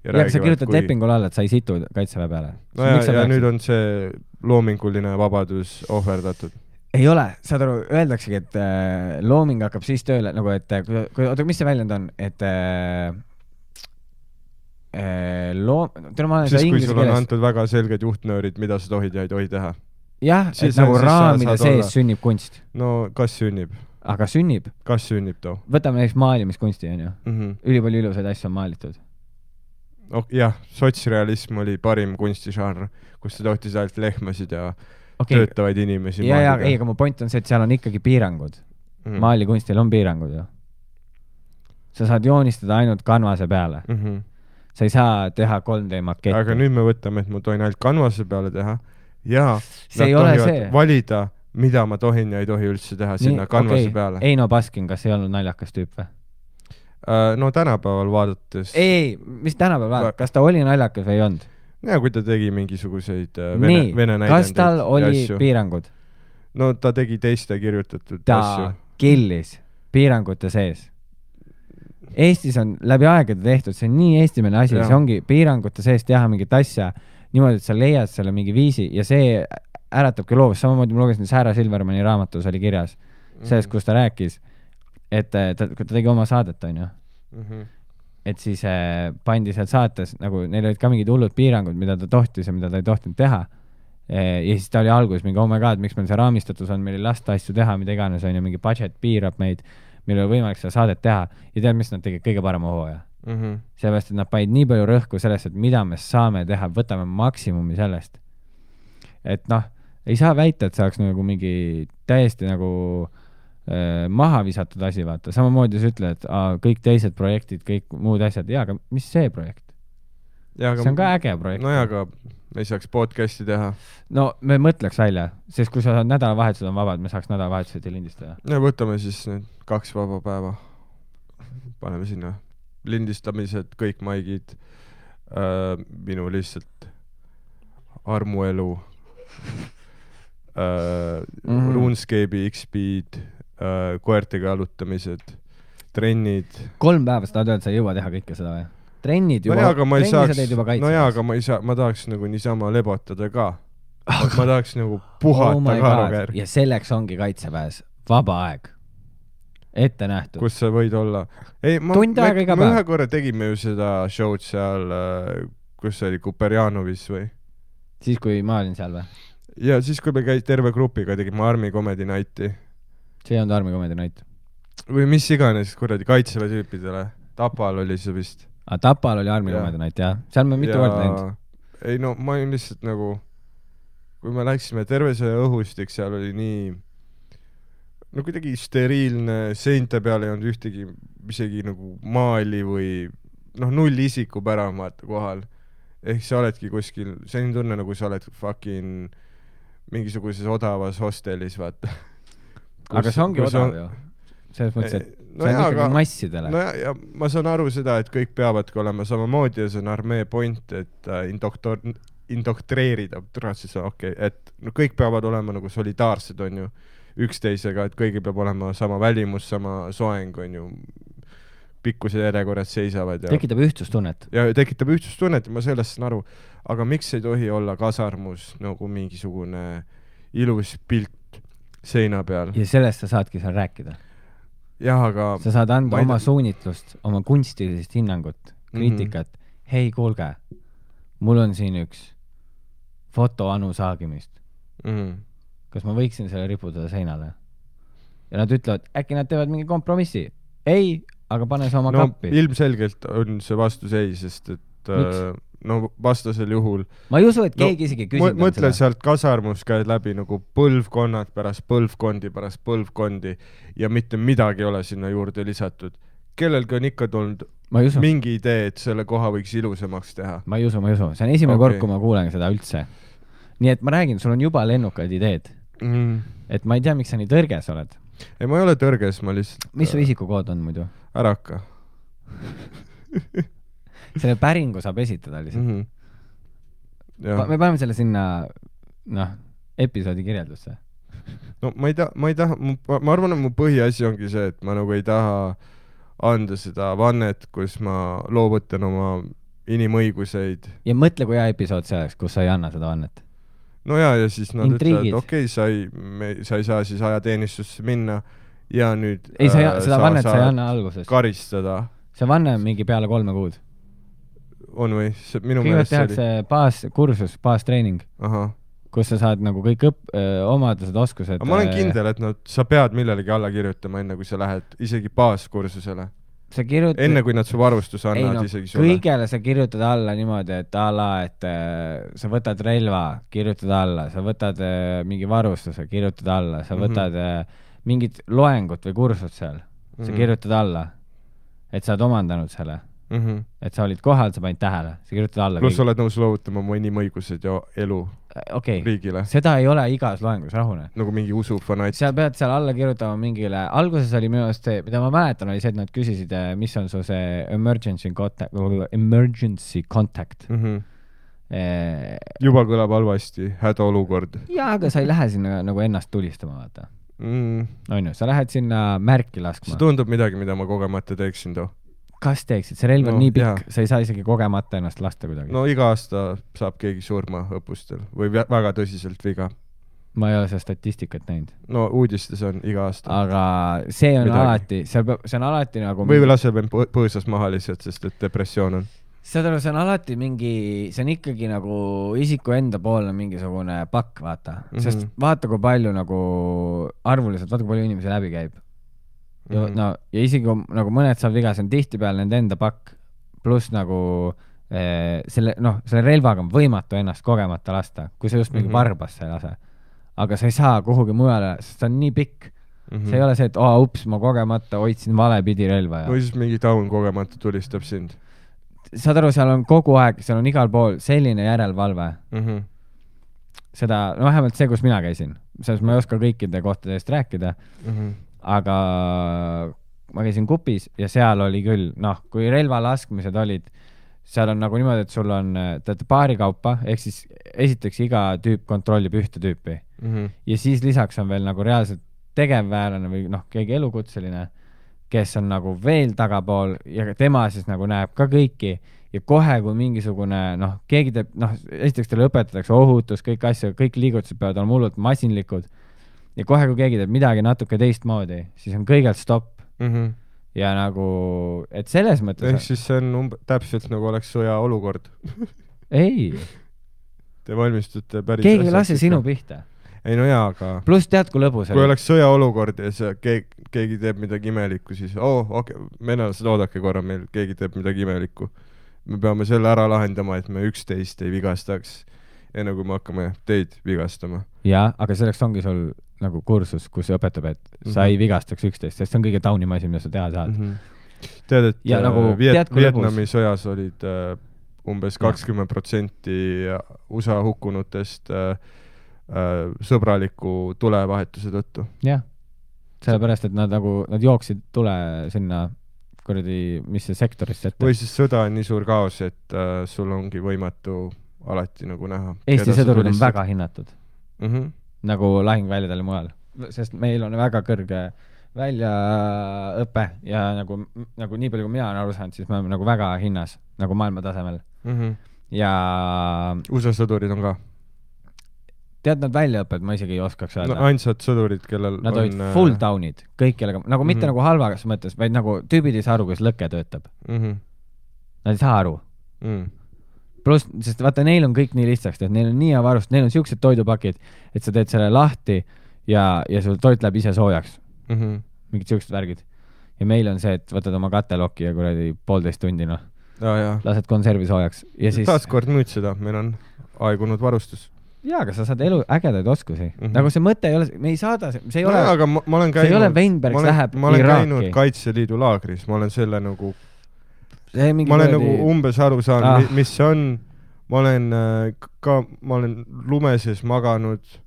[SPEAKER 3] ja, ja sa kirjutad kui... lepingule alla, et sa ei situ kaitseväe peale.
[SPEAKER 2] No ja, ja nüüd on see loominguline vabadus ohverdatud.
[SPEAKER 3] Ei ole, saad aru, öeldaksegi, et äh, looming hakkab siis tööle, nagu et kui, kui, oota, mis see väljend on, et äh, äh, loom...
[SPEAKER 2] Siis kui sul on keeles... antud väga selged juhtnöörid, mida sa tohid ja ei tohi teha.
[SPEAKER 3] Jah, et nagu raamide sees olla. Sünnib kunst.
[SPEAKER 2] No kas sünnib?
[SPEAKER 3] Aga sünnib?
[SPEAKER 2] Kas sünnib too?
[SPEAKER 3] Võtame näiteks maalimiskunsti, on ju. Mm -hmm. Ülipalju ilusaid asju on maalitud.
[SPEAKER 2] Oh, jah, sotsrealism oli parim kunstižanr, kus sa tohtis ainult lehmasid ja okay. töötavaid inimesi.
[SPEAKER 3] Ja, ja, ei, aga mu point on see, et seal on ikkagi piirangud. Mm -hmm. Maalikunstil on piirangud ju. Sa saad joonistada ainult kanvase peale. Mm -hmm. Sa ei saa teha kolm D maketti.
[SPEAKER 2] Aga nüüd me võtame, et ma tohin ainult kanvase peale teha. Ja
[SPEAKER 3] see ei ole see.
[SPEAKER 2] Valida, mida ma tohin ja ei tohi üldse teha sinna Nii, kanvase okay. peale.
[SPEAKER 3] Eino Baskin, kas ei olnud naljakas tüüp või?
[SPEAKER 2] Uh, no tänapäeval vaadates...
[SPEAKER 3] Ei, mis tänapäeval vaadates? Kas ta oli naljakas või ei olnud?
[SPEAKER 2] Ja kui ta tegi mingisuguseid uh, vene,
[SPEAKER 3] Nii,
[SPEAKER 2] vene näidendeid.
[SPEAKER 3] Kas tal oli piirangud?
[SPEAKER 2] No ta tegi teiste kirjutatud
[SPEAKER 3] ta
[SPEAKER 2] asju.
[SPEAKER 3] Ta killis piirangute sees. Eestis on läbi aegade tehtud, see on nii eestimeelne asi, ja. See ongi piirangute sees teha mingit asja niimoodi, et sa leiad selle mingi viisi ja see äratabki loovust. Samamoodi ma lugesin Sarah Silvermani raamatus oli kirjas selles, kus ta rääkis, et ta, ta tegi oma saadet, on ju. Mm -hmm. Et siis äh, pandi seal saates, nagu neil olid ka mingid hullud piirangud, mida ta tohtis ja mida ta ei tohtinud teha. E, ja siis ta oli alguses mingi, oh my god, miks meil see raamistatus on, meil ei lasta asju teha, mida iganes, on ju, mingi budget piirab meid, meil ei ole võimalik seda saadet teha. Ja tead, mis nad tegid kõige parema hooaja? Mm -hmm. Sellepärast, et nad panid nii palju rõhku sellest, et mida me saame teha, võtame maksimumi sellest. Et noh, ei saa väita, et see oleks nagu mingi täiesti nagu äh, maha visatud asi, vaata. Samamoodi sa ütled, et aa, kõik teised projektid, kõik muud asjad. Jaa, aga mis see projekt?
[SPEAKER 2] Ja, aga,
[SPEAKER 3] see on ka äge projekt.
[SPEAKER 2] No jaa, aga me ei saaks podcasti teha.
[SPEAKER 3] No me mõtleks välja, sest kui sa saad nädalavahetused on vabad, me saaks nädalavahetused ja lindistada.
[SPEAKER 2] Ja võtame siis need kaks vaba päeva. Paneme sinna lindistamised, kõik maigid, äh, minu lihtsalt armuelu, äh, mm-hmm. RuneScape'i X-Speed, äh, koertega jalutamised, trennid.
[SPEAKER 3] Kolm päeva sa tahad öelda, et sa ei jõua teha kõike seda või? Trennid juba,
[SPEAKER 2] no jaa, aga ma ei saaks,
[SPEAKER 3] no
[SPEAKER 2] jaa, aga ma ei saa, ma tahaks nagu niisama lebotada ka. Ma tahaks nagu puhata oh ka.
[SPEAKER 3] Ja selleks ongi kaitseväes vaba aeg. Ette nähtud.
[SPEAKER 2] Kus sa võid olla? Ei, ma,
[SPEAKER 3] Tund
[SPEAKER 2] me,
[SPEAKER 3] aega iga
[SPEAKER 2] me
[SPEAKER 3] päev.
[SPEAKER 2] ühe korra tegime ju seda show'd seal, kus see oli, Kuperjanovis või?
[SPEAKER 3] Siis, kui ma olin seal või?
[SPEAKER 2] Ja siis, kui me käis terve grupiga, tegime Army Comedy Nighti.
[SPEAKER 3] See on Army Comedy Night.
[SPEAKER 2] Või mis iganes, kuradi kaitseväe tüüpidele. Tapal oli see vist.
[SPEAKER 3] A Tapal oli Army Comedy Night, jah. Seal me mitu korda läinud.
[SPEAKER 2] Ei no, ma olin lihtsalt nagu, kui me läksime terve see õhustik, seal oli nii no kuidagi steriilne, seinte peal ei olnud ühtegi isegi nagu maali või noh, null isiku pärama vaata kohal. Ehk sa oledki kuskil, see on tunne nagu sa oled fucking mingisuguses odavas hostelis, vaata. Kus,
[SPEAKER 3] aga see ongi odav
[SPEAKER 2] on...
[SPEAKER 3] ju. Selles mõttes, et
[SPEAKER 2] no
[SPEAKER 3] see on
[SPEAKER 2] jaa,
[SPEAKER 3] ikkagi
[SPEAKER 2] aga,
[SPEAKER 3] massidele.
[SPEAKER 2] No ja, ja ma saan aru seda, et kõik peavadki olema samamoodi ja see on armee point, et uh, indoktor, indoktreerida, siis on okei, okay, et no kõik peavad olema nagu solidaarsed, on ju, üksteisega, et kõigil peab olema sama välimus, sama soeng, on ju, pikkuse järjekorrad seisavad. Ja,
[SPEAKER 3] tekitab ühtsustunnet.
[SPEAKER 2] Ja tekitab ühtsustunnet ja ma sellest saan aru, aga miks ei tohi olla kasarmus nagu mingisugune ilus pilt seina peal?
[SPEAKER 3] Ja sellest sa saadki seal rääkida.
[SPEAKER 2] Jah, aga
[SPEAKER 3] sa saad anda oma ta... suunitlust, oma kunstilist hinnangut, kriitikat. Mm-hmm. Hei, kuulge, mul on siin üks foto Anu Saagimist. Mm-hmm. Kas ma võiksin selle riputada seinale? Ja nad ütlevad, äkki nad teevad mingi kompromissi. Ei, aga pane see oma
[SPEAKER 2] no,
[SPEAKER 3] kappi.
[SPEAKER 2] Ilmselgelt on see vastus ei, sest et äh, no vastasel juhul
[SPEAKER 3] ma ei usu, et keegi no, isegi küsinud
[SPEAKER 2] on mõtle seda. Sealt kasarmus käid läbi nagu põlvkonnad pärast põlvkondi pärast põlvkondi ja mitte midagi ei ole sinna juurde lisatud. Kellelgi on ikka tulnud mingi idee, et selle koha võiks ilusamaks teha.
[SPEAKER 3] Ma ei usu, ma ei usu. See on esimene okay. kord, kui ma kuulen seda üldse. Nii et ma räägin, sul on juba lennukaid ideed. Mm. Et ma ei tea, miks sa nii tõrges oled.
[SPEAKER 2] Ei, ma ei ole tõrges, ma lihtsalt...
[SPEAKER 3] Mis su isikukood on muidu?
[SPEAKER 2] Ära hakka.
[SPEAKER 3] Selle päringu saab esitada lihtsalt. Mm-hmm. Pa, me paneme selle sinna noh, episoodi kirjeldusse.
[SPEAKER 2] No ma ei taha, ma ei taha, ma arvan, et mu põhiasi ongi see, et ma nagu ei taha anda seda vannet, kus ma loovutan oma inimõiguseid. Ja
[SPEAKER 3] mõtle, kui hea episood see oleks, kus sa ei anna seda vannet.
[SPEAKER 2] No jaa, ja siis nad ütlevad, et okei, okay, sa, ei, sa ei saa siis ajateenistusse minna ja nüüd
[SPEAKER 3] ei, sa, äh, seda vannet sa ei anna alguses.
[SPEAKER 2] Karistada.
[SPEAKER 3] See vanne on mingi peale kolme kuud.
[SPEAKER 2] On või? See, minu
[SPEAKER 3] kõigepealt tehakse oli... baas, kursus, baastreening,
[SPEAKER 2] Aha.
[SPEAKER 3] kus sa saad nagu kõik õpp, öö, omadused, oskused.
[SPEAKER 2] Aga ma olen kindel, et no, sa pead millelegi alla kirjutama enne, kui sa lähed isegi baaskursusele.
[SPEAKER 3] Sa kirjutad...
[SPEAKER 2] Enne, kui nad su varustus annavad no, isegi sulle.
[SPEAKER 3] Kõigele sa kirjutad alla niimoodi, et ala, et äh, sa võtad relva, kirjutad alla, sa võtad äh, mingi varustuse, kirjutad alla, sa võtad mm-hmm. äh, mingit loengut või kursut seal, sa mm-hmm. kirjutad alla, et sa oled omandanud selle. Mm-hmm. Et sa olid kohal, sa panid tähele, sa kirjutad alla.
[SPEAKER 2] Plus oled nõus loovutama oma inimõigused ja elu
[SPEAKER 3] okay.
[SPEAKER 2] riigile.
[SPEAKER 3] Seda ei ole igas loengus, rahune.
[SPEAKER 2] Nagu mingi usufanat.
[SPEAKER 3] Sa pead seal alla kirjutama mingile, alguses oli minu arust see, mida ma mäletan, oli see, et nad küsisid, mis on su see emergency contact, emergency contact. Mm-hmm. E...
[SPEAKER 2] Juba kõlab halvasti, hädaolukord.
[SPEAKER 3] Jaa, aga sa ei lähe sinna nagu ennast tulistama, vaata. Mm. On ju, sa lähed sinna märki laskma.
[SPEAKER 2] See tundub midagi, mida ma kogemata teeksin too.
[SPEAKER 3] Kas teeksid? See relv on no, nii pikk, jah. Sa ei saa isegi kogemata ennast lasta kuidagi.
[SPEAKER 2] No iga aasta saab keegi surma õppustel või väga tõsiselt viga.
[SPEAKER 3] Ma ei ole seda statistikat näinud.
[SPEAKER 2] No uudistes on iga aasta.
[SPEAKER 3] Aga see on midagi. Alati, see, see on alati nagu...
[SPEAKER 2] Või laseb põõsas maha lihtsalt, sest et depressioon on.
[SPEAKER 3] See on alati mingi, see on ikkagi nagu isiku enda poolne mingisugune pakk, vaata. Mm-hmm. Sest vaata, kui palju nagu arvuliselt, vaata, kui palju inimesi läbi käib. Ja, no, ja isegi nagu mõned saab viga, see on tihtipeale nende enda pakk, pluss nagu eh, selle, noh, selle relvaga on võimatu ennast kogemata lasta, kui sa just mingi mm-hmm. varbas sa ei lase. aga sa ei saa kuhugi mujale, sest ta on nii pikk. Mm-hmm. See ei ole see, et oh, ups, ma kogemata hoidsin valepidi relva. Ja...
[SPEAKER 2] või siis mingi taun kogemata tulistab sind.
[SPEAKER 3] Saad aru, seal on kogu aeg, seal on igal pool selline järelevalve. Mm-hmm. Seda, no vähemalt see, kus mina käisin. Selles ma ei oska kõikide kohtade eest rääkida, mm-hmm. aga ma käisin Kupis ja seal oli küll, noh, kui relva laskmised olid, seal on nagu niimoodi, et sul on teate, paari kaupa, ehk siis esiteks iga tüüp kontrollib ühte tüüpi. Mm-hmm. Ja siis lisaks on veel nagu reaalselt tegevväelane või noh, keegi elukutseline, kes on nagu veel tagapool ja tema siis nagu näeb ka kõiki ja kohe, kui mingisugune, noh, keegi teeb, noh, esiteks teile õpetatakse ohutus, kõik asju, kõik liigutused peavad olema hullult masinlikud ja kohe, kui keegi teeb midagi natuke teistmoodi, siis on kõigelt stopp. Mm-hmm. Ja nagu, et selles mõttes...
[SPEAKER 2] Ehk siis see on umb... täpselt nagu oleks sõja olukord.
[SPEAKER 3] Ei.
[SPEAKER 2] Te valmistute päris...
[SPEAKER 3] Keegi ei lase sinu pihta.
[SPEAKER 2] Ei no jaa, aga...
[SPEAKER 3] Plus tead, kui lõbus
[SPEAKER 2] kui oleks sõjaolukord ja see, keegi, keegi teeb midagi imelikku, siis oh, okei, okay, venelased oodake korra meil, keegi teeb midagi imelikku. Me peame selle ära lahendama, et me üksteist ei vigastaks, enne kui me hakkame teid vigastama.
[SPEAKER 3] Jaa, aga selleks ongi sul nagu kursus, kus õpetab, et mm-hmm. sa ei vigastaks üksteist, sest see on kõige taunim asi, mida sa teha saad.
[SPEAKER 2] Mm-hmm. Tead, et ja, nagu, Viet- tead, Vietnami lõbus. Sõjas olid uh, umbes kakskümmend protsenti U S A hukkunutest uh, sõbraliku tulevahetuse tõttu.
[SPEAKER 3] Jah, sellepärast, et nad nagu, nad jooksid tule sinna kuradi, mis see sektorist ette.
[SPEAKER 2] Või siis sõda on nii suur kaos, et äh, sul ongi võimatu alati nagu näha.
[SPEAKER 3] Eesti sõdurid on väga hinnatud.
[SPEAKER 2] Mm-hmm.
[SPEAKER 3] Nagu lahingväljadel mujal. Sest meil on väga kõrge väljaõpe ja nagu, nagu nii palju, kui mina olen aru saanud, siis me oleme nagu väga hinnas, nagu maailma tasemel. Mm-hmm. Ja...
[SPEAKER 2] U S A sõdurid on ka?
[SPEAKER 3] Tead, nad väljaõpped, ma isegi ei oskaks öelda.
[SPEAKER 2] No, ainsad sõdurid, kellel
[SPEAKER 3] nad
[SPEAKER 2] on...
[SPEAKER 3] Nad olid full down'id, kõik kellega, nagu mm-hmm. mitte nagu halvas mõttes, vaid nagu tüübid ei saa aru, kus lõke töötab. Mm-hmm. Nad ei saa aru. Mm. Plus, sest vaata, neil on kõik nii lihtsaks, et neil on nii hea varust, neil on siuksed toidupakid, et sa teed selle lahti ja, ja sul toit läheb ise soojaks. Mm-hmm. Mingid siuksed värgid. Ja meil on see, et võtad oma katelokki ja kuradi poolteist tundi, noh.
[SPEAKER 2] Ja,
[SPEAKER 3] lased konservi soojaks. Ja siis...
[SPEAKER 2] Taaskord müüd seda, meil on aegunud varustus.
[SPEAKER 3] Jaa, aga sa saad elu ägedaid oskusi. Mm-hmm. Nagu see mõte ei ole, me ei saada, see ei
[SPEAKER 2] no,
[SPEAKER 3] ole,
[SPEAKER 2] aga ma, ma olen käinud,
[SPEAKER 3] see ei ole Weinbergs
[SPEAKER 2] ma olen,
[SPEAKER 3] läheb
[SPEAKER 2] ma olen
[SPEAKER 3] Iraaki.
[SPEAKER 2] Käinud Kaitseliidu laagris, ma olen selle nagu,
[SPEAKER 3] ma olen
[SPEAKER 2] võrdi... nagu umbes aru saanud, ah. mis see on, ma olen ka, ma olen lumeses maganud,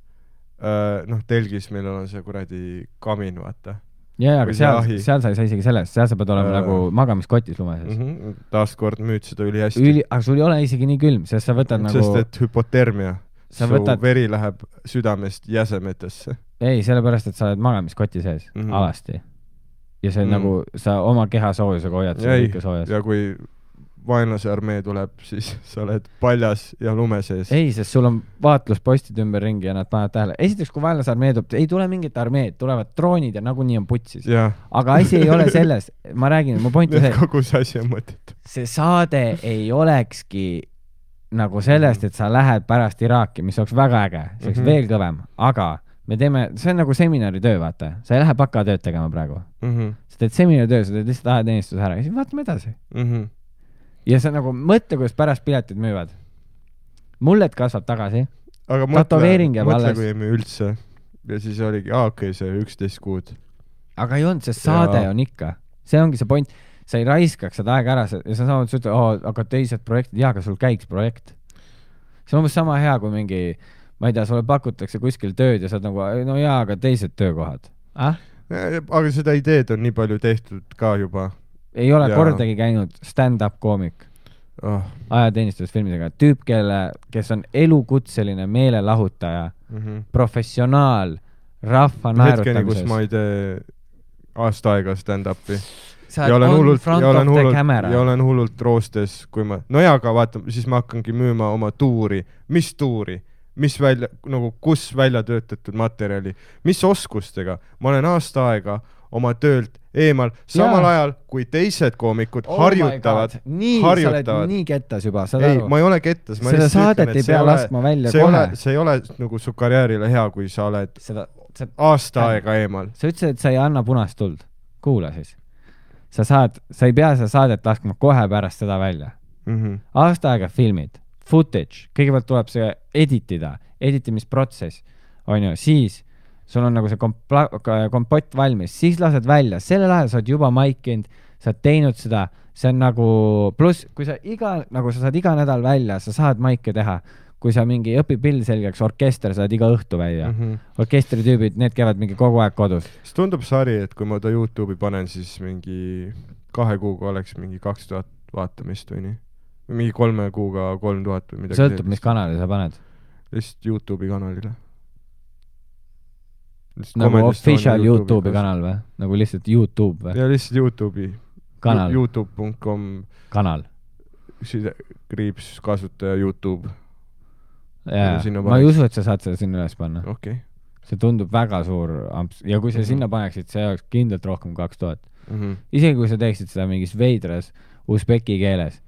[SPEAKER 2] noh, telgis meil on see kuradi kamin, vaata.
[SPEAKER 3] Jaa, aga seal, seal sa ei saa isegi sellest, seal sa pead olema äh, nagu magamiskotis lumeses.
[SPEAKER 2] Mm-hmm. Taaskord müüd seda üli hästi.
[SPEAKER 3] Üli, aga sul ei ole isegi nii külm, sest sa võtad
[SPEAKER 2] sest,
[SPEAKER 3] nagu...
[SPEAKER 2] Sest et hüpotermia. Su võtad... veri läheb südamest jäsemetesse.
[SPEAKER 3] Ei, sellepärast, et sa oled magamiskoti sees mm-hmm. alasti. Ja see mm-hmm. nagu, sa oma keha soojusega hoiad seda kõike soojas.
[SPEAKER 2] Ja kui vaenlase armee tuleb, siis sa oled paljas ja lume sees.
[SPEAKER 3] Ei, sest sul on vaatluspostid ümber ringi ja nad panevad tähele. Esiteks, kui vaenlase armee tuleb, ei tule mingit armeed, tulevad droonid ja nagunii on putsis.
[SPEAKER 2] Ja.
[SPEAKER 3] Aga asi ei ole selles. Ma räägin, mu point on see.
[SPEAKER 2] Kogu see asi on mõtet.
[SPEAKER 3] See saade ei olekski nagu sellest, et sa lähed pärast Iraaki, mis oleks väga äge, see oleks mm-hmm. veel kõvem, aga me teeme, see on nagu seminari töö, vaata, sa ei lähe baka tööd tegema praegu. Mm-hmm. Sa teed seminari töö, sa teed lihtsalt aheteenistus ära ja siis vaatame edasi. Mm-hmm. Ja sa nagu mõtle, kuidas pärast piletid müüvad. Mullet kasvab tagasi.
[SPEAKER 2] Aga mõtle, mõtle kui ei müü üldse. Ja siis oligi, aa, okei, okay, see üksteist kuud.
[SPEAKER 3] Aga ei olnud, see saade ja... on ikka. See ongi see point. Sa ei raiskaks seda aega ära ja sa saad ütelda, oh, aga teised projektid, jaa, aga sul käiks projekt. See on umbes sama hea, kui mingi, ma ei tea, sulle pakutakse kuskil tööd ja saad nagu, no jaa, aga teised töökohad. Ah?
[SPEAKER 2] Aga seda ideed on nii palju tehtud ka juba.
[SPEAKER 3] Ei ole ja... kordagi käinud stand-up koomik oh. ajateenistusfilmidega. Tüüp, kelle, kes on elukutseline meelelahutaja, mm-hmm. professionaal, rahva naerutamises.
[SPEAKER 2] Hetkeni, kus ma ei tee aasta aega stand-upi.
[SPEAKER 3] Ja olen, hullult, ja, olen hullult,
[SPEAKER 2] ja olen hullult roostes, kui ma, no jaa, aga vaata, siis ma hakkangi müüma oma tuuri, mis tuuri, mis välja, nagu kus välja töötatud materjali, mis oskustega, ma olen aasta aega oma töölt eemal, samal ja. Ajal, kui teised koomikud oh harjutavad,
[SPEAKER 3] nii,
[SPEAKER 2] harjutavad.
[SPEAKER 3] Sa oled nii kettas juba, saad
[SPEAKER 2] ei,
[SPEAKER 3] aru?
[SPEAKER 2] Ma ei ole kettas. Ma
[SPEAKER 3] seda saadet ütlen, ei pea laskma välja
[SPEAKER 2] see
[SPEAKER 3] kohe.
[SPEAKER 2] Ole, see ei ole nagu su karjäärile hea, kui sa oled seda, sa, aasta äh, aega eemal.
[SPEAKER 3] Sa ütlesid, et sa ei anna punast tuld. Kuula siis. Sa saad, sa ei pea seda saadet laskma kohe pärast seda välja. Mm-hmm. Aasta aega filmid, footage, kõigepealt tuleb see editida, editimisprotsess, on ju, siis sul on nagu see kompla- kompott valmis, siis lased välja, sellel ajal sa oled juba maikinud, sa oled teinud seda, see on nagu, pluss kui sa iga, nagu sa saad iga nädal välja, sa saad maike teha, kui sa mingi õpid pill selgeks, orkester saad iga õhtu välja mm. -hmm. Orkestri tüübid, need käivad mingi kogu aeg kodus.
[SPEAKER 2] siis tundub sari, et kui ma ta YouTube'i panen, siis mingi kahe kuuga oleks mingi kaks tuhat vaatamist või nii. Või mingi kolme kuuga kolm tuhat või midagi.
[SPEAKER 3] Sõltub, mis kanali sa paned?
[SPEAKER 2] Lihtsalt YouTube'i kanalile.
[SPEAKER 3] Lihtsalt nagu official YouTube'i kanal või? Nagu lihtsalt YouTube või?
[SPEAKER 2] Ja lihtsalt YouTube'i.
[SPEAKER 3] Kanal.
[SPEAKER 2] youtube punkt com
[SPEAKER 3] kanal.
[SPEAKER 2] Kriips kasutaja YouTube.
[SPEAKER 3] Jaa, ma ei usu, et sa saad seda sinna üles panna.
[SPEAKER 2] Okay.
[SPEAKER 3] See tundub väga suur amps. Ja kui sa mm -hmm. sinna paneksid, see oleks kindlalt rohkem kaks tuhat. Mm -hmm. Isegi kui sa teeksid seda mingis veidras usbeki keeles,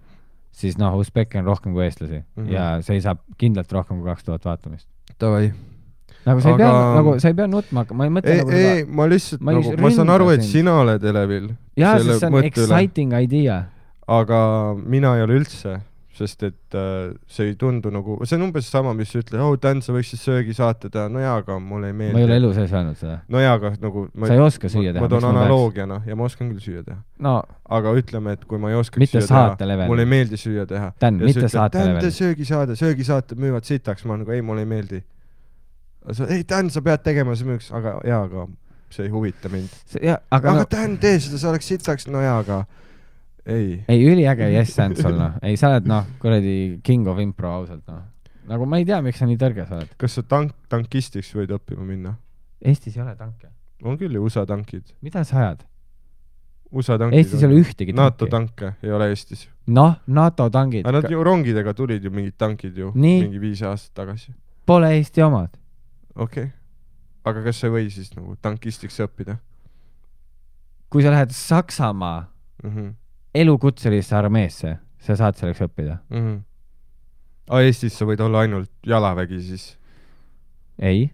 [SPEAKER 3] siis noh, usbeki on rohkem kui eestlasi mm -hmm. ja see saab kindlalt rohkem kui kaks tuhat vaatamist.
[SPEAKER 2] Tavai.
[SPEAKER 3] Nagu sa ei Aga... pea, nagu sa ei pea nutma, ma ei mõtle
[SPEAKER 2] ei,
[SPEAKER 3] nagu
[SPEAKER 2] ei, seda... ma lihtsalt, ma, nagu, ma saan aru, et sind. Sina oled elevil.
[SPEAKER 3] Jaa, sest see on exciting üle. Idea.
[SPEAKER 2] Aga mina ei ole üldse, sest et äh, see ei tundu nagu, see on umbes sama, mis sa ütled, oh, Dan, sa võiksid söögi saata teha, no jaa, aga mulle ei meeldi.
[SPEAKER 3] Ma ei ole elu sees öelnud seda.
[SPEAKER 2] No jaa, aga nagu... Ma,
[SPEAKER 3] sa ei oska süüa teha.
[SPEAKER 2] Ma toon analoogiana ja ma oskan küll süüa teha.
[SPEAKER 3] No,
[SPEAKER 2] aga ütleme, et kui ma ei oskaks
[SPEAKER 3] mitte
[SPEAKER 2] süüa teha,
[SPEAKER 3] level.
[SPEAKER 2] mulle ei meeldi süüa teha.
[SPEAKER 3] Dan, mitte saate level.
[SPEAKER 2] Dan, söögi saada, söögi saata müüvad sitaks, ma nagu, ei, mulle ei meeldi. Sa, ei, Dan, sa pead tegema see müüks, aga jaa, aga see ei huvita mind.
[SPEAKER 3] See, ja, aga
[SPEAKER 2] aga
[SPEAKER 3] no...
[SPEAKER 2] Dan, tee seda, sa oleks sitaks, no jaa, aga ei.
[SPEAKER 3] Ei, üliäge yes and sul, noh. Ei, sa oled, noh, kuradi king of impro ausalt, noh. Nagu ma ei tea, miks sa nii tõrge sa oled.
[SPEAKER 2] Kas sa tank, tankistiks võid õppima minna?
[SPEAKER 3] Eestis ei ole tanke.
[SPEAKER 2] On küll ju U S A tankid.
[SPEAKER 3] Mida sa ajad?
[SPEAKER 2] U S A tankid.
[SPEAKER 3] Eestis ei ole ühtegi tanki.
[SPEAKER 2] NATO tanke ei ole Eestis.
[SPEAKER 3] Noh, NATO tankid.
[SPEAKER 2] Aga nad ju rongidega tulid ju mingid tankid ju
[SPEAKER 3] nii?
[SPEAKER 2] Mingi viis aastat tagasi.
[SPEAKER 3] Pole Eesti omad.
[SPEAKER 2] Okei. Okay. Aga kas sa ei või siis nagu tankistiks õppida?
[SPEAKER 3] Kui sa lähed Saksamaa mm -hmm. elukutselisse armeesse, sa saad selleks õppida.
[SPEAKER 2] Mm -hmm. A Eestis sa võid olla ainult jalavägi siis?
[SPEAKER 3] Ei.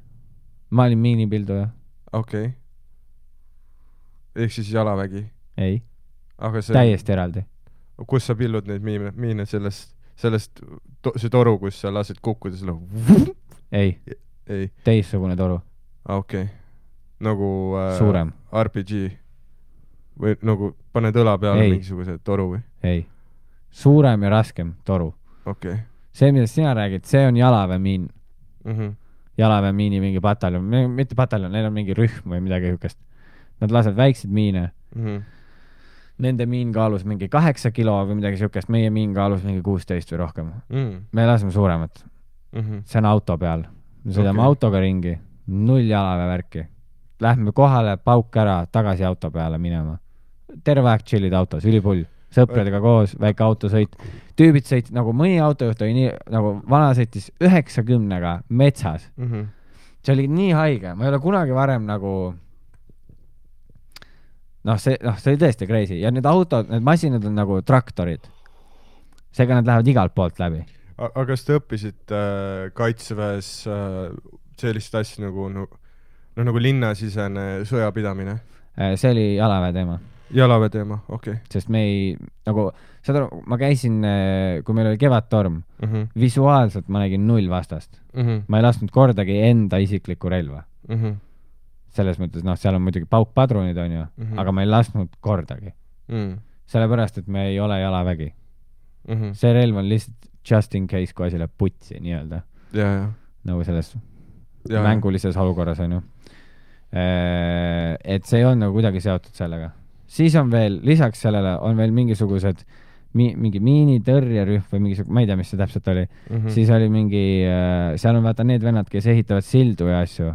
[SPEAKER 3] Ma olin miinipilduja.
[SPEAKER 2] Okei. Okay. Ehk siis jalavägi?
[SPEAKER 3] Ei.
[SPEAKER 2] Aga see...
[SPEAKER 3] Täiesti eraldi.
[SPEAKER 2] Kus sa pillud neid miine, miine sellest, sellest to, see toru, kus sa lased kukkuda selle...
[SPEAKER 3] Ei.
[SPEAKER 2] Ei.
[SPEAKER 3] Teissugune toru.
[SPEAKER 2] Okei. Okay. Nagu... Äh,
[SPEAKER 3] suurem.
[SPEAKER 2] R P G. Või nagu paned õla peale ei. Mingisuguse toru või?
[SPEAKER 3] Ei. Suurem ja raskem toru.
[SPEAKER 2] Okei. Okay.
[SPEAKER 3] See, millest sina räägid, see on jalaväemiin.
[SPEAKER 2] Mm -hmm.
[SPEAKER 3] Jalaväemiini mingi pataljon. Mitte pataljon, neil on mingi rühm või midagi hükest. Nad lased väikseid miine. Mm -hmm. Nende miin kaalus mingi kaheksa kilo või midagi sihukest. Meie miin kaalus mingi kuusteist või rohkem. Mm. Me laseme suuremat. Mm -hmm. See on auto peal. Me sõidame okay. autoga ringi. Null jalaväevärki. Lähme kohale, pauk ära, tagasi auto peale minema. Terve aeg chillid autos, ülipull. Sõpradega koos, väike autosõit. Tüübid sõit, nagu mõni autojuht oli nii, nagu vana sõitis üheksakümnega metsas. Mm -hmm. See oli nii haige. Ma ei ole kunagi varem nagu... Noh, see, noh, see oli tõesti crazy. Ja need autod, need masinad on nagu traktorid. Seega nad lähevad igalt poolt läbi.
[SPEAKER 2] Aga kas te õppisid äh, kaitseväes äh, sellist asja nagu, no, no, nagu linnasisene sõjapidamine?
[SPEAKER 3] See oli jalaväe teema.
[SPEAKER 2] Jalaväe teema, okei. Okay.
[SPEAKER 3] Sest me ei, nagu, saad aru, ma käisin, kui meil oli kevadtorm, mm -hmm. visuaalselt ma nägin null vastast. Mm -hmm. Ma ei lasknud kordagi enda isiklikku relva. Mm -hmm. Selles mõttes, noh, seal on muidugi paukpadrunid, on ju, mm -hmm. aga ma ei lasknud kordagi. Mm. Sellepärast, et me ei ole jalavägi. Mm -hmm. See relv on lihtsalt just in case, kui asi läheb putsi, nii-öelda.
[SPEAKER 2] Ja, ja.
[SPEAKER 3] Nagu selles ja, mängulises olukorras, on ju. Et see ei olnud nagu kuidagi seotud sellega. Siis on veel, lisaks sellele on veel mingisugused mi, mingi miinitõrjerühm või mingisugune, ma ei tea, mis see täpselt oli. Mm -hmm. Siis oli mingi, seal on vaata need vennad, kes ehitavad sildu ja asju.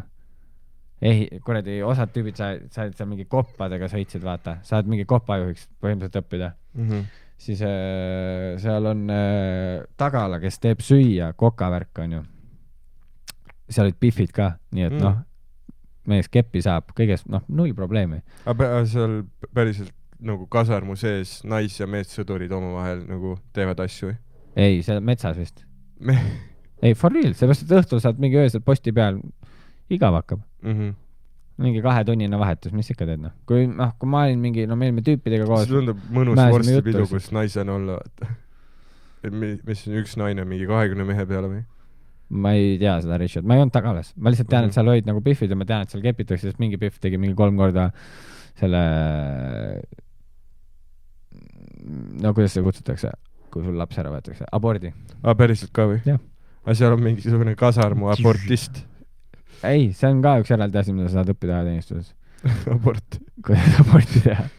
[SPEAKER 3] Ehi, kuradi, osad tüübid sa, sa oled seal mingi koppadega sõitsid, vaata. Sa oled mingi kopajuhiks põhimõtteliselt õppida. Mm -hmm. Siis äh, seal on äh, tagala, kes teeb süüa, kokavärk on ju. Seal olid pifid ka, nii et mm. noh, mees keppi saab, kõigest, noh, null probleemi.
[SPEAKER 2] Aga seal päriselt nagu kasarmu sees nais- ja meessõdurid omavahel nagu teevad asju või?
[SPEAKER 3] Ei, see on metsas vist. Me... Ei, for real, seepärast, et õhtul saad mingi öösel posti peal, igav hakkab. Mm -hmm. Mingi kahetunnine vahetus, mis ikka teed, noh. Kui, noh, kui ma olin mingi, no meil me tüüpidega koos... See tundub
[SPEAKER 2] mõnus vorstipidu, kus naisena olla, vaata. Mis on üks naine mingi kahekümne mehe peale või?
[SPEAKER 3] ma ei tea seda Richard, ma ei olnud tagalas, ma lihtsalt tean,
[SPEAKER 2] Mhm.
[SPEAKER 3] et seal olid nagu Biffid ja ma tean, et seal kepitakse, sest mingi Biff tegi mingi kolm korda selle, no kuidas seda kutsutakse, kui sul laps ära võetakse, abordi.
[SPEAKER 2] aa, päriselt ka või?
[SPEAKER 3] Jah.
[SPEAKER 2] aga seal on mingisugune kasarmu abortist.
[SPEAKER 3] ei, see on ka üks eraldi asi, mida sa saad õppida ajateenistuses.
[SPEAKER 2] abort.
[SPEAKER 3] kuidas aborti teha.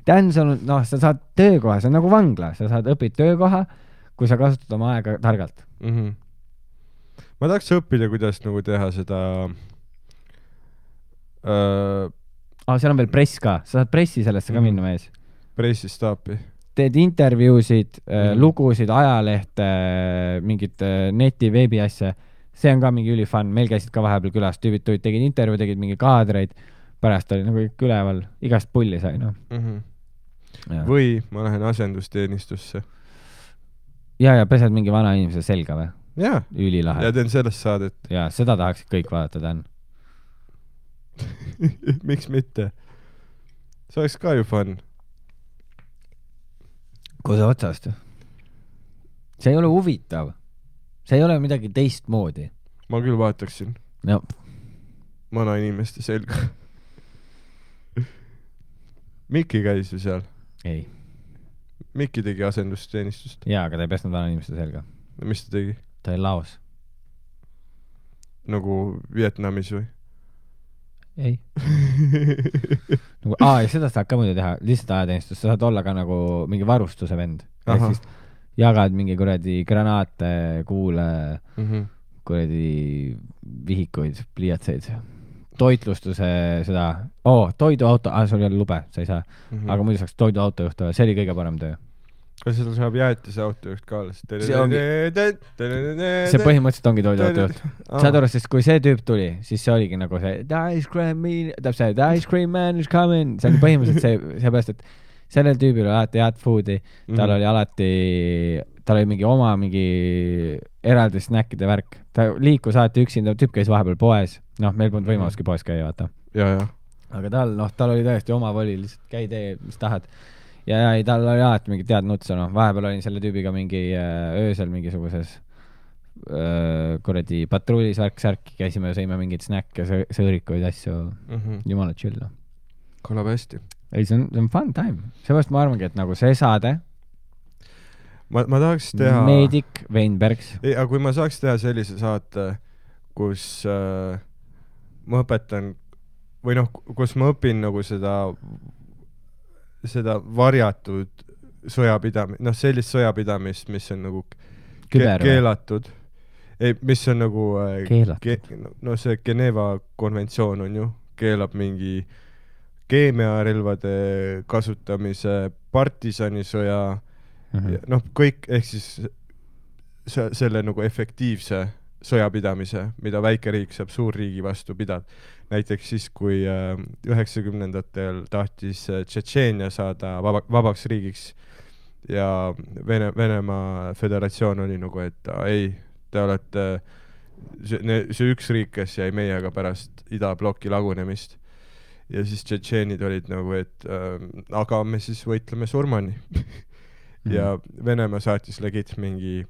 [SPEAKER 3] tähendab, see on, noh, sa saad töökoha, see on nagu vangla, sa saad õpid töökoha, kui sa kasutad oma aega targalt.
[SPEAKER 2] Mm -hmm. ma tahaks õppida, kuidas nagu teha seda äh,
[SPEAKER 3] ah, seal on veel press ka, sa saad pressi sellesse ka
[SPEAKER 2] Mhm.
[SPEAKER 3] minna mees.
[SPEAKER 2] pressistaapi.
[SPEAKER 3] Teed intervjuusid äh,
[SPEAKER 2] Mhm.
[SPEAKER 3] lugusid, ajalehte, mingit äh, neti, veebi asja, see on ka mingi ülifun, meil käisid ka vahepeal külas, tüübid tulid, tegid intervjuu, tegid mingi kaadreid, pärast oli nagu kõik üleval, igast pulli sai, noh.
[SPEAKER 2] Mm -hmm.
[SPEAKER 3] ja,
[SPEAKER 2] või ma lähen asendusteenistusse.
[SPEAKER 3] ja, ja pesed mingi vana inimese selga või?
[SPEAKER 2] jaa,
[SPEAKER 3] Ülilahe.
[SPEAKER 2] ja teen sellest saadet.
[SPEAKER 3] ja seda tahaksid kõik vaadata, Dan.
[SPEAKER 2] miks mitte? see oleks ka ju fun.
[SPEAKER 3] kuse otsast. see ei ole huvitav. see ei ole midagi teistmoodi.
[SPEAKER 2] ma küll vaataksin
[SPEAKER 3] no
[SPEAKER 2] vana inimeste selga. Mikki käis ju seal.
[SPEAKER 3] ei.
[SPEAKER 2] Mikki tegi asendusteenistust.
[SPEAKER 3] jaa, aga ta ei pesnud vana inimeste selga.
[SPEAKER 2] mis ta tegi?
[SPEAKER 3] ta oli laos.
[SPEAKER 2] nagu Vietnamis või?
[SPEAKER 3] ei. nagu, aa, ja seda saad ka muidu teha, lihtsalt ajateenistus, sa saad olla ka nagu mingi varustuse vend. ehk siis jagad mingi kuradi granaate, kuule,
[SPEAKER 2] mm -hmm.
[SPEAKER 3] kuradi vihikuid, pliiatseid, toitlustuse seda, oo, toiduauto, aa, sul ei ole lube, sa ei saa,
[SPEAKER 2] mm -hmm.
[SPEAKER 3] aga muidu saaks toiduautojuht olla, see oli kõige parem töö.
[SPEAKER 2] kas seal saab jäätise autojuht ka alles?
[SPEAKER 3] see ongi, see põhimõtteliselt ongi toiduautojuht. saad aru, sest kui see tüüp tuli, siis see oligi nagu see the ice cream man, täpselt see the ice cream man is coming, see oli põhimõtteliselt see, seepärast, et sellel tüübil oli alati head food'i, tal oli alati, tal oli mingi oma mingi eraldi snäkkide värk, ta liikus alati üksinda, tüüp käis vahepeal poes, noh, meil polnud võimaluski poes käia, vaata.
[SPEAKER 2] ja, ja.
[SPEAKER 3] aga tal, noh, tal oli tõesti oma voli, lihtsalt käi tee, mis tahad. ja, ja ei, tal oli alati mingi tead nutsa, noh, vahepeal olin selle tüübiga mingi öö, öösel mingisuguses öö, kuradi patrullis värk-särki, käisime ja sõime mingeid snäkke, sõõrikuid, asju
[SPEAKER 2] mm -hmm.
[SPEAKER 3] jumala chill, noh.
[SPEAKER 2] kõlab hästi.
[SPEAKER 3] ei, see on, see on fun time, seepärast ma arvangi, et nagu see saade
[SPEAKER 2] ma, ma tahaks teha
[SPEAKER 3] Meedik Veinbergs.
[SPEAKER 2] ei, aga kui ma saaks teha sellise saate, kus äh, ma õpetan või noh, kus ma õpin nagu seda seda varjatud sõjapidamist, noh, sellist sõjapidamist, mis on nagu ke keelatud. ei, mis on nagu äh,
[SPEAKER 3] keelatud
[SPEAKER 2] ke no see Geneva konventsioon on ju, keelab mingi keemiarelvade kasutamise, partisanisõja mm -hmm. noh, kõik, ehk siis se selle nagu efektiivse sõjapidamise, mida väike riik saab suurriigi vastu pidada. näiteks siis, kui üheksakümnendatel tahtis Tšetšeenia saada vaba, vabaks riigiks ja Vene, Venemaa Föderatsioon oli nagu, et a, ei, te olete see, see üks riik, kes jäi meiega pärast idabloki lagunemist. ja siis tšetšeenid olid nagu, et äh, aga me siis võitleme surmani. ja Venemaa saatis legit mingi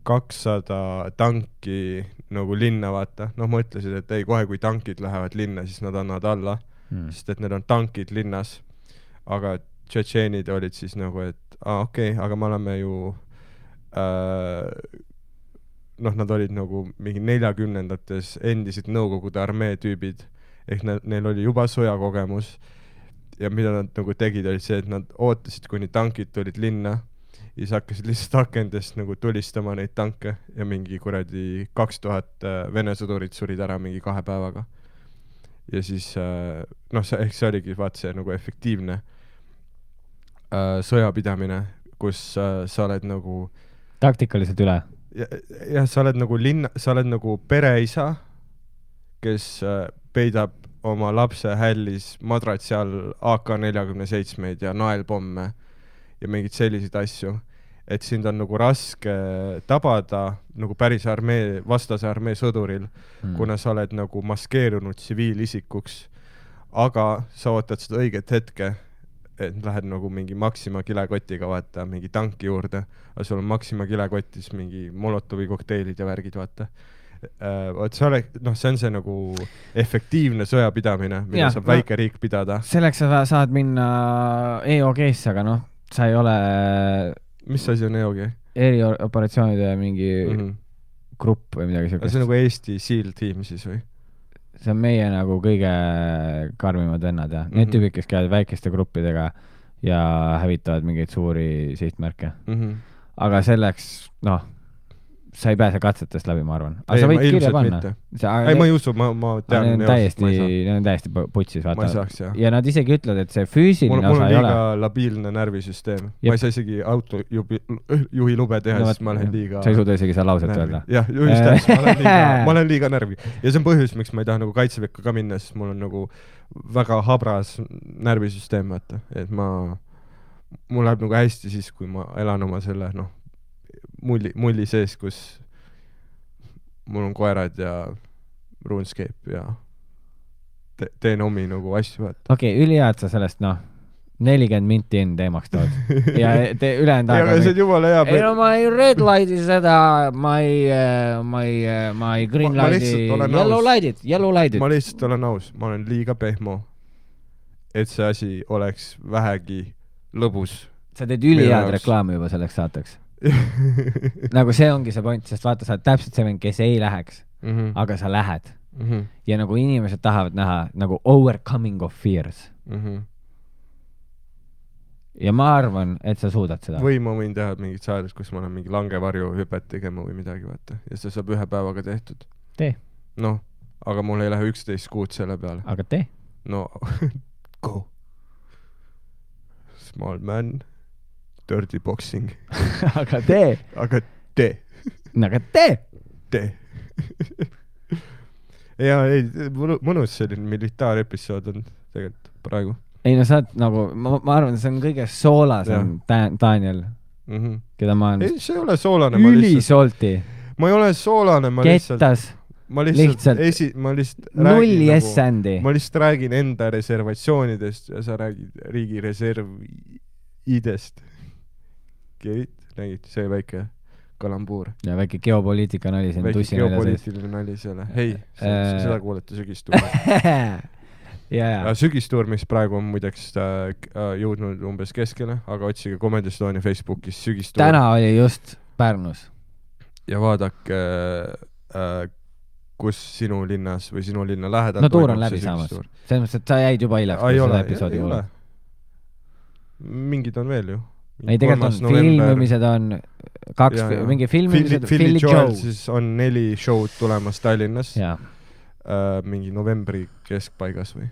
[SPEAKER 2] kakssada tanki nagu linna, vaata. noh, mõtlesid, et ei, kohe kui tankid lähevad linna, siis nad annavad alla, mm. sest et need on tankid linnas. aga tšetšeenid olid siis nagu, et aa, okei okay,, aga me oleme ju äh, noh, nad olid nagu mingi neljakümnendates endised Nõukogude armee tüübid, ehk ne neil oli juba sõjakogemus ja mida nad nagu tegid, oli see, et nad ootasid, kuni tankid tulid linna ja siis hakkasid lihtsalt akendest nagu tulistama neid tanke ja mingi kuradi kaks tuhat Vene sõdurit surid ära mingi kahe päevaga. ja siis noh, see, ehk see oligi vaat see nagu efektiivne äh, sõjapidamine, kus äh, sa oled nagu
[SPEAKER 3] taktikaliselt üle.
[SPEAKER 2] jah, ja, sa oled nagu linna, sa oled nagu pereisa, kes äh, peidab oma lapse hällis madratsi all A K nelikümmend seitsmeid ja naelpomme ja mingeid selliseid asju, et sind on nagu raske tabada nagu päris armee, vastase armee sõduril, mm. kuna sa oled nagu maskeerunud tsiviilisikuks, aga sa ootad seda õiget hetke, et lähed nagu mingi Maxima kilekotiga vaata mingi tanki juurde, aga sul on Maxima kilekotis mingi Molotovi kokteilid ja värgid vaata. Vot see ole, noh, see on see nagu efektiivne sõjapidamine, mida ja, saab väike no, riik pidada.
[SPEAKER 3] Selleks sa saad minna E O G-sse, aga noh, sa ei ole...
[SPEAKER 2] Mis asi on E O G?
[SPEAKER 3] Erioperatsioonide mingi mm-hmm. grupp või midagi sellist.
[SPEAKER 2] See on nagu Eesti SEAL tiim siis või?
[SPEAKER 3] See on meie nagu kõige karmimad vennad ja mm-hmm. need tüübid, kes käivad väikeste gruppidega ja hävitavad mingeid suuri sihtmärke. Mm-hmm. Aga selleks, noh, sa ei pääse katsetest läbi, ma arvan. Aga ei, sa võid kirja panna.
[SPEAKER 2] Sa, ei, ma ei usu, ma, ma tean.
[SPEAKER 3] Need on täiesti, on täiesti putsis, vaata.
[SPEAKER 2] Ma ei saaks, jah.
[SPEAKER 3] Ja nad isegi ütlevad, et see füüsiline
[SPEAKER 2] mul,
[SPEAKER 3] osa ei ole.
[SPEAKER 2] Mul on liiga labiilne närvisüsteem. Jep. Ma ei saa isegi auto jubi, juhi lube teha, no, siis ma olen liiga...
[SPEAKER 3] Sa ei suuda isegi seda lauset öelda.
[SPEAKER 2] Jah, just täis, ma olen liiga, ma olen liiga närvi. Ja see on põhjus, miks ma ei taha nagu kaitseväkke ka minna, sest mul on nagu väga habras närvisüsteem, vaata. Et ma... Mul läheb nagu hästi siis, kui ma elan oma selle, noh, mulli, mulli sees, kus mul on koerad ja RuneScape ja te teen omi nagu asju.
[SPEAKER 3] Okei, okay, ülihead sa sellest, noh, nelikümmend minti enne teemaks tood. Ja te ülejäänud aega...
[SPEAKER 2] Ja see on jumala hea.
[SPEAKER 3] Ei no ma ei red lighti seda, ma ei, ma ei, ma ei green
[SPEAKER 2] ma,
[SPEAKER 3] lighti,
[SPEAKER 2] ma
[SPEAKER 3] yellow lightit, yellow lightit.
[SPEAKER 2] Ma lihtsalt olen aus, ma olen liiga pehmo, et see asi oleks vähegi lõbus.
[SPEAKER 3] Sa teed ülihead reklaami juba selleks saateks. Nagu see ongi see point, sest vaata, sa oled täpselt see vend, kes ei läheks, mm-hmm. aga sa lähed. Mm-hmm. Ja nagu inimesed tahavad näha nagu overcoming of fears. Mm-hmm. Ja ma arvan, et sa suudad seda.
[SPEAKER 2] Või ma võin teha mingit saades, kus ma olen mingi langevarju hüpet tegema või midagi, vaata. Ja see saab ühe päevaga tehtud.
[SPEAKER 3] Tee.
[SPEAKER 2] Noh, aga mul ei lähe üksteist kuud selle peale.
[SPEAKER 3] Aga tee.
[SPEAKER 2] No, go. Small man. Dirty boxing.
[SPEAKER 3] Aga tee.
[SPEAKER 2] Aga tee.
[SPEAKER 3] Aga tee.
[SPEAKER 2] Tee. Ja ei, mõnus selline militaarepisood on tegelikult praegu.
[SPEAKER 3] Ei no sa oled nagu, ma, ma arvan, see on kõige soolasem Daniel, mm-hmm. keda ma olen...
[SPEAKER 2] Ei, see ei ole soolane.
[SPEAKER 3] Ülisolti.
[SPEAKER 2] Ma ei ole soolane, ma lihtsalt...
[SPEAKER 3] Kettas.
[SPEAKER 2] Ma lihtsalt, lihtsalt, esi, ma lihtsalt
[SPEAKER 3] nulli S-sändi.
[SPEAKER 2] Nagu, ma lihtsalt räägin enda reservatsioonidest ja sa räägid riigi reservidest. Kerit, nägid, see väike kalambuur.
[SPEAKER 3] Ja väike geopoliitika nali siin
[SPEAKER 2] väike
[SPEAKER 3] tussi
[SPEAKER 2] geopoliitiline nali selle. Hei, äh... seda kuulete sügistuurmis. ja, ja. Sügistuurmis praegu on muideks äh, jõudnud umbes keskele, aga otsige Comedy Estonia Facebookis sügistuur.
[SPEAKER 3] Täna oli just Pärnus.
[SPEAKER 2] Ja vaadake, äh, kus sinu linnas või sinu linna lähedal
[SPEAKER 3] no tuur on läbi saamas. Selles mõttes, et sa jäid juba hiljaks.
[SPEAKER 2] Ei ole, ei ole. Mingid on veel ju.
[SPEAKER 3] Ei, tegelikult on filmimised on kaks, ja, ja. mingi filmimised
[SPEAKER 2] Philly, Philly Joel siis on neli show'd tulemas Tallinnas äh, mingi novembri keskpaigas või?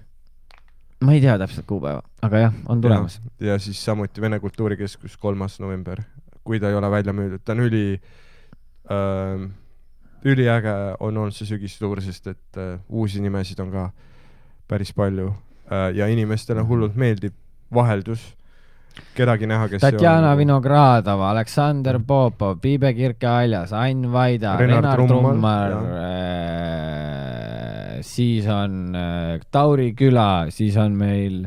[SPEAKER 3] Ma ei tea täpselt kuupäeva, aga jah, on tulemas.
[SPEAKER 2] Ja, ja siis samuti Vene Kultuurikeskus kolmas november, kui ta ei ole välja müüdud. Ta on üli äh, üliäge on olnud see sügistuur, sest et äh, uusi nimesid on ka päris palju äh, ja inimestele hullult meeldib vaheldus. Kedagi näha, kes
[SPEAKER 3] Tatjana on... Vinogradova, Aleksander Popov, Piibe Kirke-Aljas, Ain Vaida,
[SPEAKER 2] Renard,
[SPEAKER 3] Renard
[SPEAKER 2] Trummar,
[SPEAKER 3] äh, siis on äh, Tauri Küla, siis on meil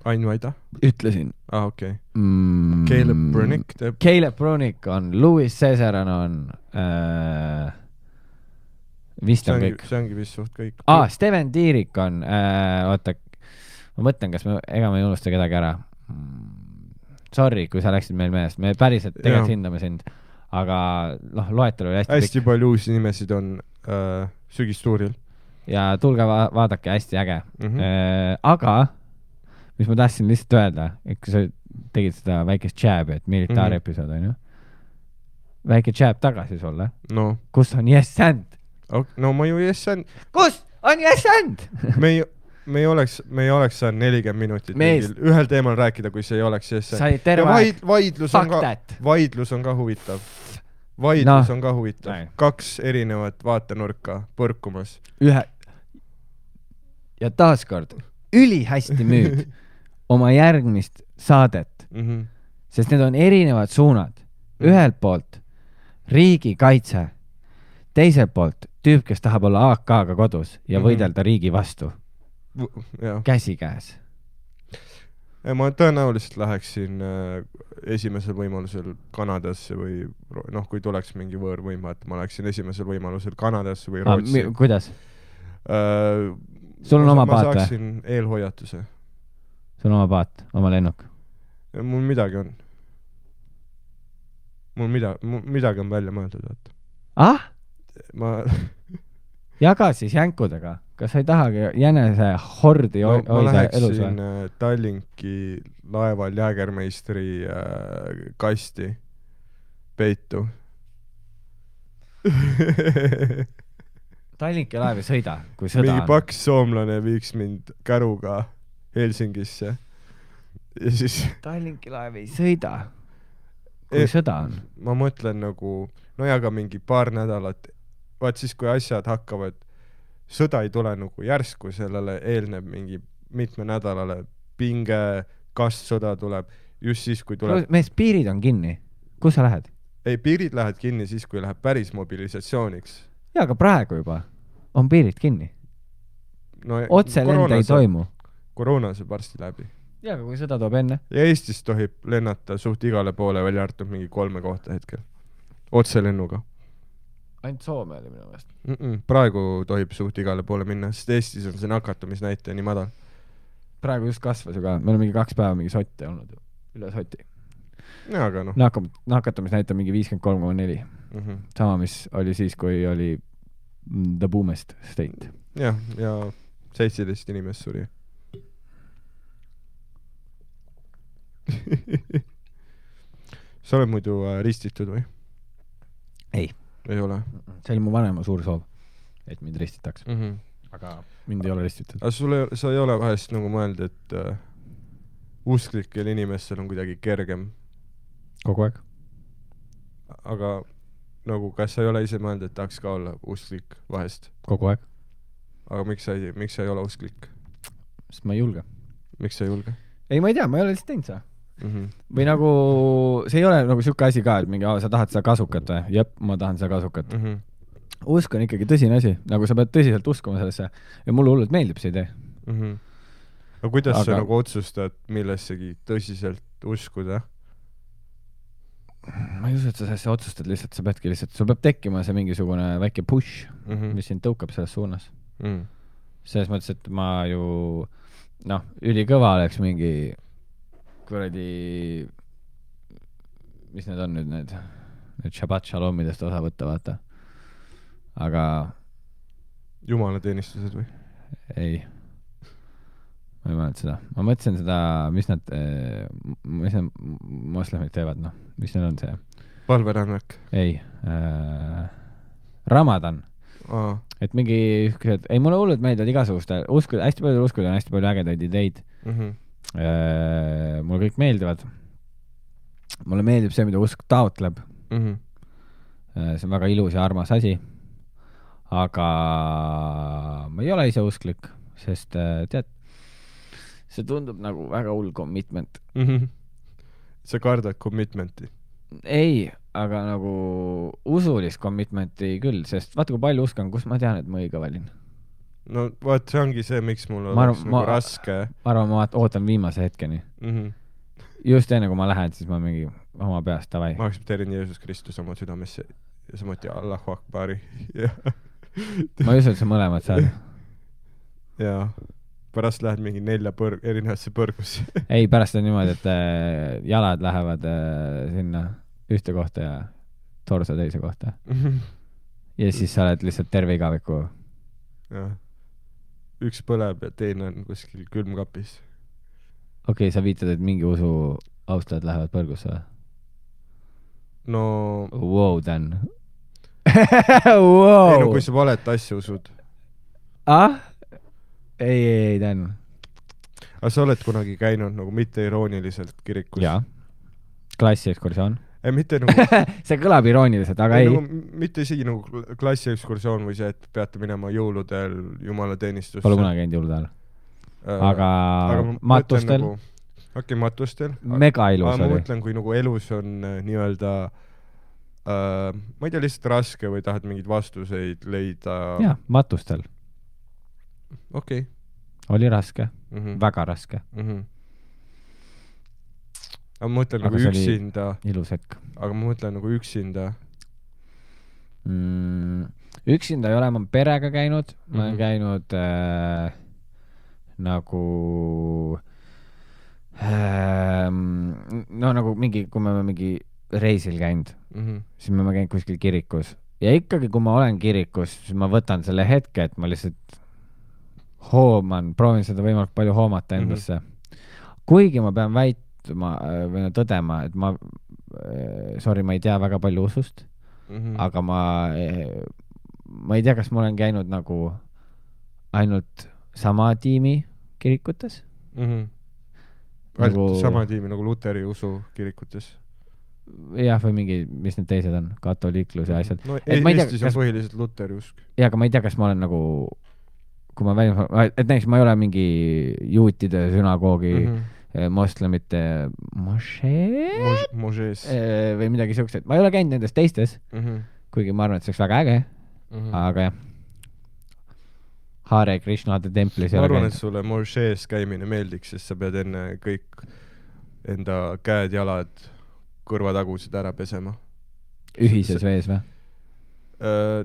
[SPEAKER 2] Ain Vaida?
[SPEAKER 3] Ütlesin.
[SPEAKER 2] Ah, okei. Okay.
[SPEAKER 3] Mm,
[SPEAKER 2] Caleb Brunick teeb.
[SPEAKER 3] Caleb Brunick on, Louis Cesaran on äh, vist on
[SPEAKER 2] ongi,
[SPEAKER 3] kõik.
[SPEAKER 2] See ongi vist suht kõik.
[SPEAKER 3] Ah, Steven Tiirik on äh, oota, ma mõtlen, kas me, ega me ei unusta kedagi ära. Sorry, kui sa läksid meil meelest, me päriselt tegelikult ja. Hindame sind, aga noh, loetelu oli hästi
[SPEAKER 2] hästi pikk. Palju uusi nimesid on äh, sügistuuril
[SPEAKER 3] ja tulge va vaadake, hästi äge mm-hmm. äh, aga mis ma tahtsin lihtsalt öelda, et kui sa tegid seda väikest jab, et militaarepisood on ju väike jab tagasi sulle
[SPEAKER 2] no.
[SPEAKER 3] Kus on yes and?
[SPEAKER 2] No ma ju yes and
[SPEAKER 3] kus on yes and?
[SPEAKER 2] me ei me ei oleks, me ei oleks saanud nelikümmend minutit mingil, ühel teemal rääkida, kui see ei oleks yes and. Ja vaid, vaidlus, on ka, vaidlus on ka huvitav. Vaidlus no. on ka huvitav. Näin. Kaks erinevat vaatenurka põrkumas.
[SPEAKER 3] Ühe. Ja taaskord, üli hästi müüd oma järgmist saadet, mm-hmm. sest need on erinevad suunad. Ühelt poolt riigikaitse, teiselt poolt tüüp, kes tahab olla A K-ga kodus ja mm-hmm. võidelda riigi vastu. Ja. Käsi käes.
[SPEAKER 2] ma tõenäoliselt läheksin äh, esimesel võimalusel Kanadasse või noh, kui tuleks mingi võõrvõim, et ma läheksin esimesel võimalusel Kanadasse või Rootsi.
[SPEAKER 3] Ah, kuidas?
[SPEAKER 2] Äh,
[SPEAKER 3] sul on
[SPEAKER 2] ma,
[SPEAKER 3] oma
[SPEAKER 2] ma
[SPEAKER 3] paat või?
[SPEAKER 2] Ma saaksin eelhoiatuse.
[SPEAKER 3] Sul on oma paat, oma lennuk?
[SPEAKER 2] Mul midagi on. Mul mida, mul midagi on välja mõeldud, vaata.
[SPEAKER 3] Ah?
[SPEAKER 2] Ma...
[SPEAKER 3] Jaga siis jänkudega. Kas sa ei tahagi jänese hordi
[SPEAKER 2] no,
[SPEAKER 3] hoida elus või?
[SPEAKER 2] Ma läheksin Tallinki laeval Jäägermeistri äh, kasti peitu.
[SPEAKER 3] Tallinki laev ei sõida, kui sõda
[SPEAKER 2] mingi
[SPEAKER 3] on.
[SPEAKER 2] paks soomlane viiks mind käruga Helsingisse. Ja siis...
[SPEAKER 3] Tallinki laev ei sõida, kui e sõda on.
[SPEAKER 2] Ma mõtlen nagu, no ja ka mingi paar nädalat, vaat siis kui asjad hakkavad, sõda ei tule nagu järsku, sellele eelneb mingi mitme nädalale pinge, kas sõda tuleb, just siis, kui tuleb...
[SPEAKER 3] Mees, piirid on kinni. Kus sa lähed?
[SPEAKER 2] Ei, piirid lähed kinni siis, kui läheb päris mobilisatsiooniks.
[SPEAKER 3] Jaa, aga praegu juba on piirid kinni.
[SPEAKER 2] No,
[SPEAKER 3] otse lende ei toimu.
[SPEAKER 2] Koroona see varsti läbi.
[SPEAKER 3] Jaa, aga kui sõda toob enne?
[SPEAKER 2] Ja Eestis tohib lennata suht igale poole, välja arvatud mingi kolme kohta hetkel. Otse lennuga.
[SPEAKER 3] Ainult Soome oli minu meelest.
[SPEAKER 2] Mm -mm, praegu tohib suht igale poole minna, sest Eestis on see nakatumisnäitaja nii madal.
[SPEAKER 3] Praegu just kasvas ju ka. Meil on mingi kaks päeva mingi sotti olnud. Üle soti.
[SPEAKER 2] Ja, aga noh.
[SPEAKER 3] Nakatumisnäitaja mingi viiskümmend kolm koma neli. Mm -hmm. Sama, mis oli siis, kui oli the boomest state.
[SPEAKER 2] Jah, ja seitseteist inimest suri. Sa oled muidu äh, ristitud või?
[SPEAKER 3] Ei.
[SPEAKER 2] Ei ole?
[SPEAKER 3] See oli mu vanema suur soov, et mind ristitaks. Mm -hmm. Aga mind ei ole ristitud.
[SPEAKER 2] Aga sul ei, sa ei ole vahest nagu mõeld, et äh, usklikel inimestel on kuidagi kergem?
[SPEAKER 3] Kogu aeg.
[SPEAKER 2] Aga nagu, kas sa ei ole ise mõeld, et tahaks ka olla usklik vahest?
[SPEAKER 3] Kogu aeg.
[SPEAKER 2] Aga miks sa ei, miks sa ei ole usklik?
[SPEAKER 3] Sest ma ei julge.
[SPEAKER 2] Miks sa ei julge?
[SPEAKER 3] Ei, ma ei tea, ma ei ole lihtsalt teinud sa. Mm -hmm. Või nagu, see ei ole nagu siuke asi ka, et mingi, sa tahad seda kasukat või? Jep, ma tahan seda kasukat. Mm -hmm. Usk on ikkagi tõsine asi, nagu sa pead tõsiselt uskuma sellesse ja mulle hullult meeldib see idee. Mm
[SPEAKER 2] -hmm. Aga kuidas Aga... sa nagu otsustad millessegi tõsiselt uskuda?
[SPEAKER 3] Ma ei usu, et sa sellesse otsustad lihtsalt, sa peadki lihtsalt, sul peab tekkima see mingisugune väike push, mm -hmm. mis sind tõukab selles suunas. Mm -hmm. Selles mõttes, et ma ju noh, ülikõva oleks mingi kuradi, mis need on nüüd need, need Shabbat Shalomidest osa võtta, vaata. Aga
[SPEAKER 2] jumalateenistused või?
[SPEAKER 3] Ei. Ma ei mõelnud seda. Ma mõtlesin seda, mis nad, mis need moslemid teevad, noh. Mis neil on see?
[SPEAKER 2] Palverännak?
[SPEAKER 3] Ei. Äh, Ramadan.
[SPEAKER 2] Aa.
[SPEAKER 3] Et mingi, ei mulle hullult meeldivad igasuguste, uskud, hästi palju uskud on hästi palju ägedaid ideid. Mm -hmm. äh, mulle kõik meeldivad. Mulle meeldib see, mida usk taotleb. Mm -hmm. äh, see on väga ilus ja armas asi. Aga ma ei ole ise usklik, sest äh, tead, see tundub nagu väga hull commitment. Mm -hmm.
[SPEAKER 2] Sa kardad commitmenti?
[SPEAKER 3] Ei, aga nagu usulist commitmenti küll, sest vaata, kui palju uskan, kus ma tean, et ma õige valin.
[SPEAKER 2] No vaat, see ongi see, miks mul oleks nagu ma, raske.
[SPEAKER 3] Ma arvan, ma ootan viimase hetkeni. Mm -hmm. Just enne, kui ma lähen, siis ma mingi oma peast, davai.
[SPEAKER 2] Ma aktsepteerin Jeesus Kristus oma südamesse ja samuti Allahu Akbari.
[SPEAKER 3] Ma ei usu, et sa mõlemad saad.
[SPEAKER 2] Jaa. Pärast lähed mingi nelja põr- erinevasse põrgusse.
[SPEAKER 3] Ei, pärast on niimoodi, et äh, jalad lähevad äh, sinna ühte kohta ja torso teise kohta. Ja siis sa oled lihtsalt terve igaviku.
[SPEAKER 2] Jah. Üks põleb ja teine on kuskil külmkapis.
[SPEAKER 3] Okei, okay, sa viitad, et mingi usu austajad lähevad põrgusse või?
[SPEAKER 2] No...
[SPEAKER 3] Wow, Dan. Wow.
[SPEAKER 2] Ei, no kui sa valet asja usud.
[SPEAKER 3] Ah? Ei, ei, ei, Dan.
[SPEAKER 2] Aga sa oled kunagi käinud nagu mitte irooniliselt kirikus?
[SPEAKER 3] Jaa. Klassiekskursioon.
[SPEAKER 2] Ei, mitte nagu...
[SPEAKER 3] see kõlab irooniliselt, aga ei. ei.
[SPEAKER 2] Nagu, mitte isegi nagu klassiekskursioon või see, et peate minema jõuludel jumalateenistusse.
[SPEAKER 3] Pole kunagi käinud jõulude ajal. Äh, aga, aga matustel?
[SPEAKER 2] Nagu, okei, okay, matustel.
[SPEAKER 3] Mega ilus
[SPEAKER 2] aga
[SPEAKER 3] oli.
[SPEAKER 2] Ma mõtlen, kui nagu elus on äh, nii-öelda äh, ma ei tea, lihtsalt raske või tahad mingeid vastuseid leida.
[SPEAKER 3] Jaa, matustel.
[SPEAKER 2] Okei okay..
[SPEAKER 3] Oli raske. Mm -hmm. Väga raske. Mm -hmm.
[SPEAKER 2] aga ma mõtlen
[SPEAKER 3] Aga
[SPEAKER 2] nagu
[SPEAKER 3] see oli
[SPEAKER 2] üksinda,
[SPEAKER 3] ilus hetk.
[SPEAKER 2] aga ma mõtlen nagu üksinda.
[SPEAKER 3] Mm, üksinda ei ole, ma perega käinud, ma olen
[SPEAKER 2] Mhm.
[SPEAKER 3] käinud äh, nagu äh, no nagu mingi, kui me oleme mingi reisil käinud,
[SPEAKER 2] Mhm.
[SPEAKER 3] siis me oleme käinud kuskil kirikus ja ikkagi, kui ma olen kirikus, siis ma võtan selle hetke, et ma lihtsalt hooman, proovin seda võimalikult palju hoomata endasse. Mm-hmm. Kuigi ma pean väitma või no tõdema, et ma, sorry, ma ei tea väga palju usust, mm-hmm. aga ma, ma ei tea, kas ma olen käinud nagu ainult sama tiimi kirikutes.
[SPEAKER 2] Mm-hmm.
[SPEAKER 3] Nagu...
[SPEAKER 2] sama tiimi nagu Luteri usu kirikutes.
[SPEAKER 3] Jah, või mingi, mis need teised on, katoliiklus ja asjad.
[SPEAKER 2] No et e Eestis on kas... põhiliselt Luteri usk.
[SPEAKER 3] Jah, aga ma ei tea, kas ma olen nagu, kui ma väljum, et näiteks ma ei ole mingi juutide sünagoogi mm-hmm. moslemite mošee
[SPEAKER 2] Mos mošees
[SPEAKER 3] või midagi siukest. Ma ei ole käinud nendes teistes, mm-hmm. kuigi ma arvan, et see oleks väga äge, mm-hmm. aga jah. Hare Krishnade templis.
[SPEAKER 2] Ma arvan, et sulle mošees käimine meeldiks, sest sa pead enne kõik enda käed, jalad, kõrvatagusid ära pesema.
[SPEAKER 3] Ühises see... vees või?
[SPEAKER 2] Uh,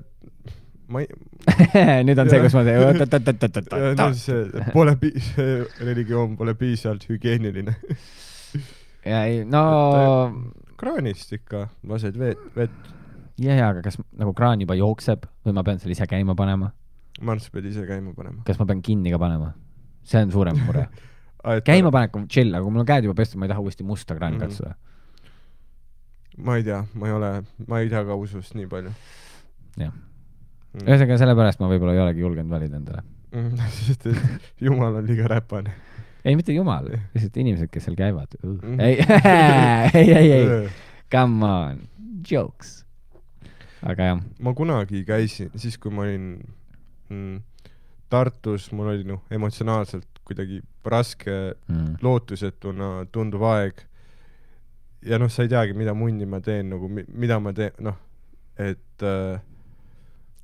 [SPEAKER 2] ma ei...
[SPEAKER 3] Nüüd on see, kus ma teen...
[SPEAKER 2] No, see, pole pi... see religioon pole piisavalt hügieeniline.
[SPEAKER 3] Ja ei, no...
[SPEAKER 2] Kraanist ikka lased vett. vett.
[SPEAKER 3] Ja, ja, aga kas nagu kraan juba jookseb või ma pean seal ise käima panema?
[SPEAKER 2] Ma arvan, sa pead ise käima panema.
[SPEAKER 3] Kas ma pean kinni ka panema? See on suurem mure. Käima panek on chill, aga kui mul on käed juba pestud, ma ei taha uuesti musta kraani mm-hmm. katsuda.
[SPEAKER 2] Ma ei tea, ma ei ole, ma ei tea ka usust nii palju.
[SPEAKER 3] Jah. Mm. Ühesõnaga sellepärast ma võib-olla ei olegi julgenud valida endale.
[SPEAKER 2] Mm, sest et Jumal on liiga räpane.
[SPEAKER 3] Ei, mitte Jumal, lihtsalt inimesed, kes seal käivad. Uh. Mm. Ei, ei, ei, ei. Come on. Jokes. Aga jah.
[SPEAKER 2] Ma kunagi käisin, siis kui ma olin mm, Tartus, mul oli no, emotsionaalselt kuidagi raske mm. lootusetuna tunduv aeg. Ja noh, sa ei teagi, mida munni ma teen, nagu mida ma teen, noh, et äh,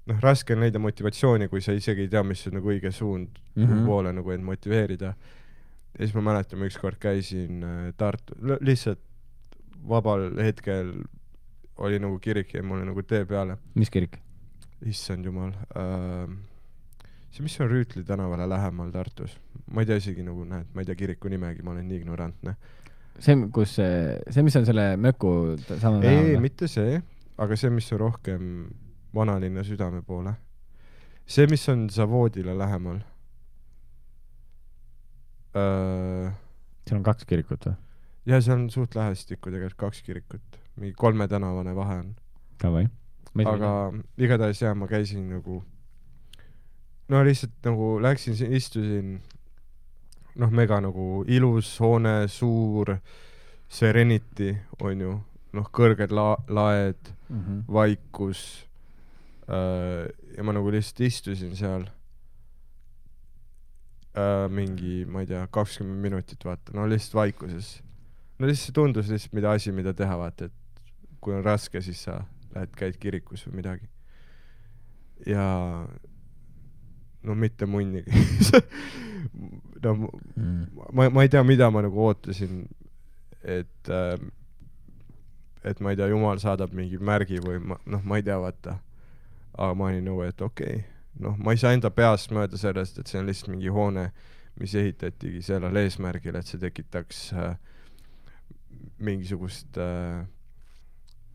[SPEAKER 2] noh, raske on leida motivatsiooni, kui sa isegi ei tea, mis on nagu õige suund mm-hmm. poole nagu end motiveerida. Ja siis ma mäletan, ma ükskord käisin äh, Tartu, lihtsalt vabal hetkel oli nagu kirik ja mul oli nagu tee peale.
[SPEAKER 3] Mis kirik?
[SPEAKER 2] Issand jumal. Äh, see, mis on Rüütli tänavale lähemal Tartus? Ma ei tea isegi nagu, näed, ma ei tea kiriku nimegi, ma olen nii ignorantne.
[SPEAKER 3] See, kus see, see, mis on selle möku sama
[SPEAKER 2] ei, ei, mitte see, aga see, mis on rohkem vanalinna südame poole. See, mis on Zavoodile lähemal. Äh...
[SPEAKER 3] seal on kaks kirikut või?
[SPEAKER 2] Ja see on suht lähestikku tegelikult kaks kirikut. Mingi kolme tänavane vahe on.
[SPEAKER 3] Tavai.
[SPEAKER 2] Aga igatahes jah, ma käisin nagu no lihtsalt nagu läksin, istusin noh, mega nagu ilus hoone, suur Serenity on ju, noh, kõrged la laed, mm-hmm. vaikus äh, ja ma nagu lihtsalt istusin seal äh, mingi, ma ei tea, kakskümmend minutit vaata, no lihtsalt vaikuses. No lihtsalt tundus lihtsalt mida asi, mida teha vaata, et kui on raske, siis sa lähed, käid kirikus või midagi. Ja no mitte munnigi. no, mm. ma, ma ei tea, mida ma nagu ootasin, et äh, et ma ei tea, Jumal saadab mingi märgi või ma, noh, ma ei tea, vaata. Aga ma olin nagu, et okei, okay. noh, ma ei saa enda peast mööda sellest, et see on lihtsalt mingi hoone, mis ehitatigi sellel eesmärgil, et see tekitaks äh, mingisugust äh,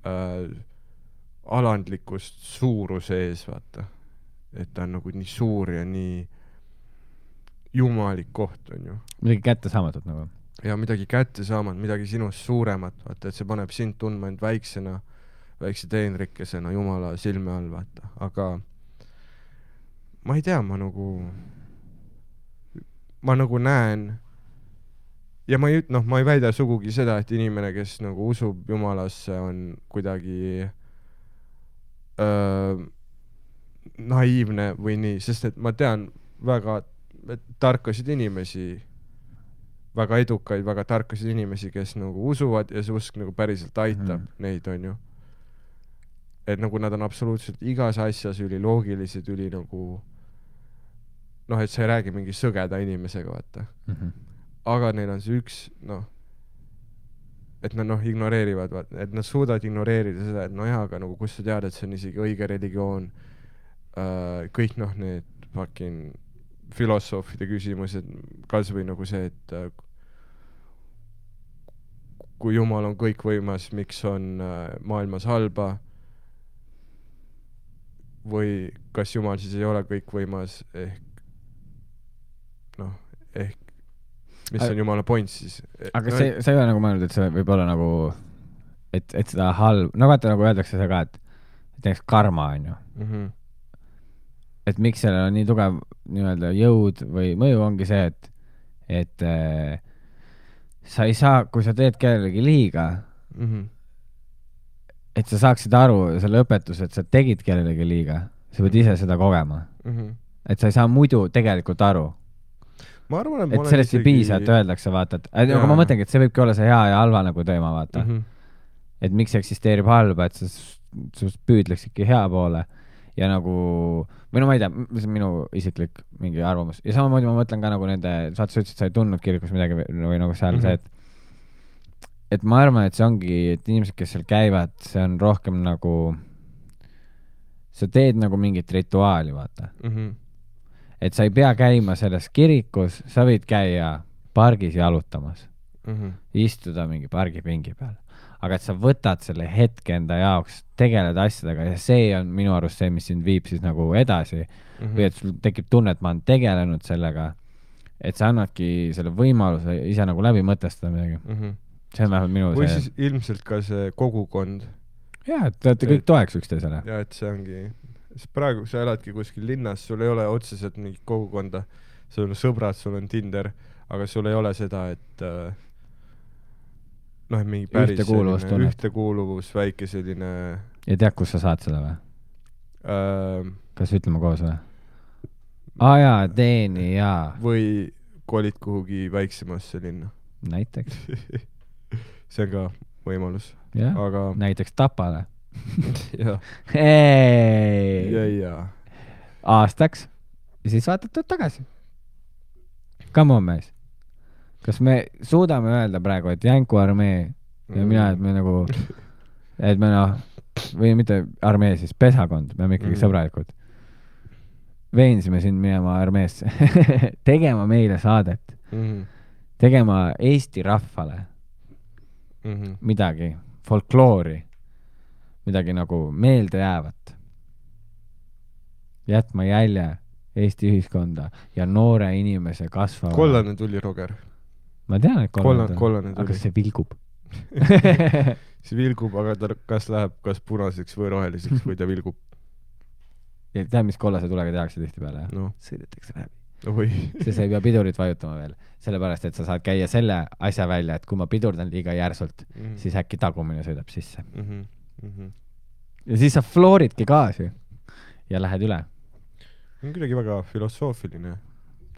[SPEAKER 2] äh, alandlikust suuruse ees, vaata. Et ta on nagu nii suur ja nii jumalik koht on ju.
[SPEAKER 3] Midagi kätte saamatut nagu.
[SPEAKER 2] Ja midagi kätte saamat, midagi sinust suuremat, vaata, et see paneb sind tundma end väiksena, väikse teenrikesena Jumala silme all, vaata. Aga ma ei tea, ma nagu ma nagu näen ja ma ei, noh, ma ei väida sugugi seda, et inimene, kes nagu usub Jumalasse, on kuidagi öö, naiivne või nii, sest et ma tean väga tarkasid inimesi, väga edukaid, väga tarkasid inimesi, kes nagu usuvad ja see usk nagu päriselt aitab mm. neid, on ju. Et nagu nad on absoluutselt igas asjas üli loogilised, üli nagu noh, et sa ei räägi mingi sõgeda inimesega, vaata. Mm-hmm. Aga neil on see üks, noh, et nad noh, ignoreerivad, et nad suudavad ignoreerida seda, et no jaa, aga nagu kus sa tead, et see on isegi õige religioon, uh, kõik noh, need fucking filosoofide küsimused, kas või nagu see, et uh, kui Jumal on kõikvõimas, miks on uh, maailmas halba, või kas Jumal siis ei ole kõikvõimas, ehk noh, ehk mis on Jumala point siis.
[SPEAKER 3] Aga no, see, sa ei ole nagu mõelnud, et see võib olla nagu, et, et seda halb, no vaata nagu öeldakse seda ka, et, et näiteks karma on ju. Mm-hmm. Et miks sellel on nii tugev nii-öelda jõud või mõju ongi see, et, et äh, sa ei saa, kui sa teed kellelegi liiga, mm-hmm. et sa saaksid aru selle õpetuse, et sa tegid kellelegi liiga, sa pead ise seda kogema. Mm-hmm. Et sa ei saa muidu tegelikult aru.
[SPEAKER 2] Ma arvan, et,
[SPEAKER 3] et sellest isegi... ei piisa, et öeldakse, vaata, et aga ma mõtlengi, et see võibki olla see hea ja halva nagu teema, vaata. Mm-hmm. Et miks eksisteerib halba, et sa sust püüdleks ikka hea poole ja nagu, või no ma ei tea, mis on minu isiklik mingi arvamus. Ja samamoodi ma mõtlen ka nagu nende, saad sa ütlesid, sa ei tundnud kirikus midagi või nagu seal mm-hmm. see, et, et ma arvan, et see ongi, et inimesed, kes seal käivad, see on rohkem nagu, sa teed nagu mingit rituaali, vaata. Mm-hmm. Et sa ei pea käima selles kirikus, sa võid käia pargis jalutamas, mm-hmm. istuda mingi pargipingi peal. Aga et sa võtad selle hetke enda jaoks, tegeled asjadega ja see on minu arust see, mis sind viib siis nagu edasi. Mm-hmm. Või et sul tekib tunne, et ma olen tegelenud sellega, et sa annadki selle võimaluse ise nagu läbi mõtestada midagi. Mm-hmm. See on vähemalt minu
[SPEAKER 2] või
[SPEAKER 3] see...
[SPEAKER 2] siis ilmselt ka see kogukond.
[SPEAKER 3] Jaa, et te olete kõik toeks üksteisele.
[SPEAKER 2] Jaa, et see ongi... praegu sa eladki kuskil linnas, sul ei ole otseselt mingit kogukonda, sul on sõbrad, sul on Tinder, aga sul ei ole seda, et äh, noh, et mingi päris ühtekuuluvus, ühtekuuluvus, väike selline...
[SPEAKER 3] Ja tead, kus sa saad seda või?
[SPEAKER 2] Äh,
[SPEAKER 3] Kas ütleme koos või? Aa jaa, teeni, jaa.
[SPEAKER 2] Või kolid kuhugi väiksemasse linna.
[SPEAKER 3] Näiteks.
[SPEAKER 2] See on ka võimalus.
[SPEAKER 3] Jah,
[SPEAKER 2] aga...
[SPEAKER 3] näiteks Tapale.
[SPEAKER 2] Ja.
[SPEAKER 3] Hey.
[SPEAKER 2] Ja, ja.
[SPEAKER 3] Aastaks ja siis vaatad tuud tagasi. Come on, mees. Kas me suudame öelda praegu, et Jänku armee ja mm. mina, et me nagu et me noh, või mitte armee, siis pesakond, me oleme ikkagi mm. sõbralikud. Veensime sind minema armeesse tegema meile saadet mm. tegema Eesti rahvale mm-hmm. midagi, folkloori midagi nagu meelde jäävat. Jätma jälje Eesti ühiskonda ja noore inimese kasvava.
[SPEAKER 2] Kollane tuli, Roger.
[SPEAKER 3] Ma tean, et kollane,
[SPEAKER 2] kollane, kollane tuli.
[SPEAKER 3] Aga see vilgub.
[SPEAKER 2] see vilgub, aga ta kas läheb kas punaseks või roheliseks, kui ta vilgub.
[SPEAKER 3] Ja tead, mis kollase tulega tehakse tihti peale?
[SPEAKER 2] No.
[SPEAKER 3] Sõidetakse läbi.
[SPEAKER 2] Oi.
[SPEAKER 3] see sa ei pea pidurit vajutama veel. Sellepärast, et sa saad käia selle asja välja, et kui ma pidurdan liiga järsult, mm-hmm. siis äkki tagumine sõidab sisse. Mm-hmm. Mm-hmm. Ja siis sa flooridki gaasi ja lähed üle.
[SPEAKER 2] On kuidagi väga filosoofiline.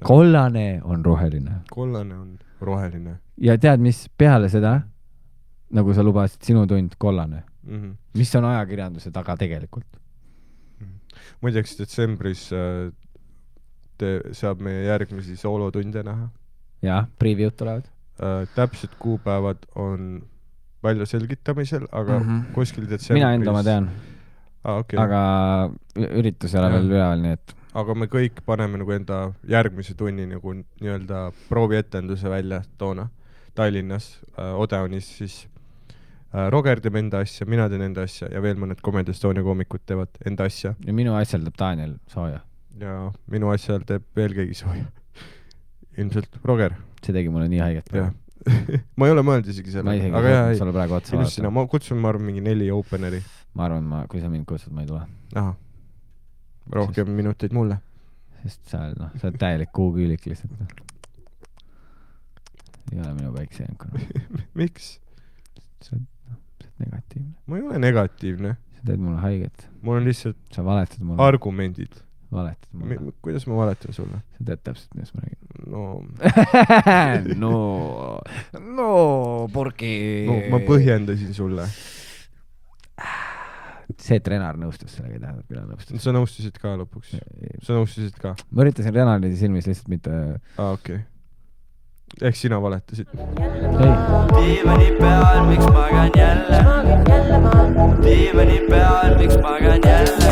[SPEAKER 3] Kollane on roheline.
[SPEAKER 2] Kollane on roheline.
[SPEAKER 3] Ja tead, mis peale seda, nagu sa lubasid, sinu tund kollane. Mm-hmm. Mis on ajakirjanduse taga tegelikult?
[SPEAKER 2] Mm-hmm. Muideks detsembris äh, te, saab meie järgmisi soolotunde näha.
[SPEAKER 3] Jah, preview'd tulevad.
[SPEAKER 2] Äh, täpsed kuupäevad on välja selgitamisel, aga mm-hmm. kuskil detsembris...
[SPEAKER 3] Mina enda ma tean.
[SPEAKER 2] Ah, okay.
[SPEAKER 3] Aga üritus ei ole veel üleval, nii et...
[SPEAKER 2] Aga me kõik paneme nagu enda järgmise tunni nagu nii-öelda proovietenduse välja toona Tallinnas, äh, Odeonis, siis äh, Roger teeb enda asja, mina teen enda asja ja veel mõned Comedy Estonia koomikud teevad enda asja.
[SPEAKER 3] Ja minu asjal teeb Daniel sooja.
[SPEAKER 2] Ja minu asjal teeb veel keegi sooja. Ilmselt Roger.
[SPEAKER 3] See tegi mulle nii haiget.
[SPEAKER 2] Jah. ma ei ole mõelnud isegi selle.
[SPEAKER 3] Ma isegi
[SPEAKER 2] aga jah,
[SPEAKER 3] sulle praegu otsa
[SPEAKER 2] vaadata. Ma kutsun, ma arvan, mingi neli openeri.
[SPEAKER 3] Ma arvan, ma, kui sa mind kutsud, ma ei tule.
[SPEAKER 2] Aha. Rohkem sest, minuteid mulle.
[SPEAKER 3] Sest sa, no, sa oled täielik kuuküülik lihtsalt. Ei ole minu väikse jänkuna.
[SPEAKER 2] Miks?
[SPEAKER 3] Sa oled, no, sa oled negatiivne.
[SPEAKER 2] Ma ei ole negatiivne.
[SPEAKER 3] Sa teed mulle haiget.
[SPEAKER 2] Mul on lihtsalt
[SPEAKER 3] sa valetad mulle.
[SPEAKER 2] Argumendid.
[SPEAKER 3] Valetad mulle.
[SPEAKER 2] M- kuidas ma valetan sulle?
[SPEAKER 3] Sa teed täpselt, mis ma räägin.
[SPEAKER 2] No.
[SPEAKER 3] no. No, purki.
[SPEAKER 2] No, ma põhjendasin sulle.
[SPEAKER 3] See, et Renar nõustus sellega, ei tähendab, küll nõustus.
[SPEAKER 2] Sa nõustusid ka lõpuks. Sa nõustusid ka.
[SPEAKER 3] Ma üritasin Renari silmis lihtsalt mitte...
[SPEAKER 2] Ah, okei. Okay. ehk sina valetasid.
[SPEAKER 1] Diivani peal, miks magan jälle? Diivani peal, miks magan jälle?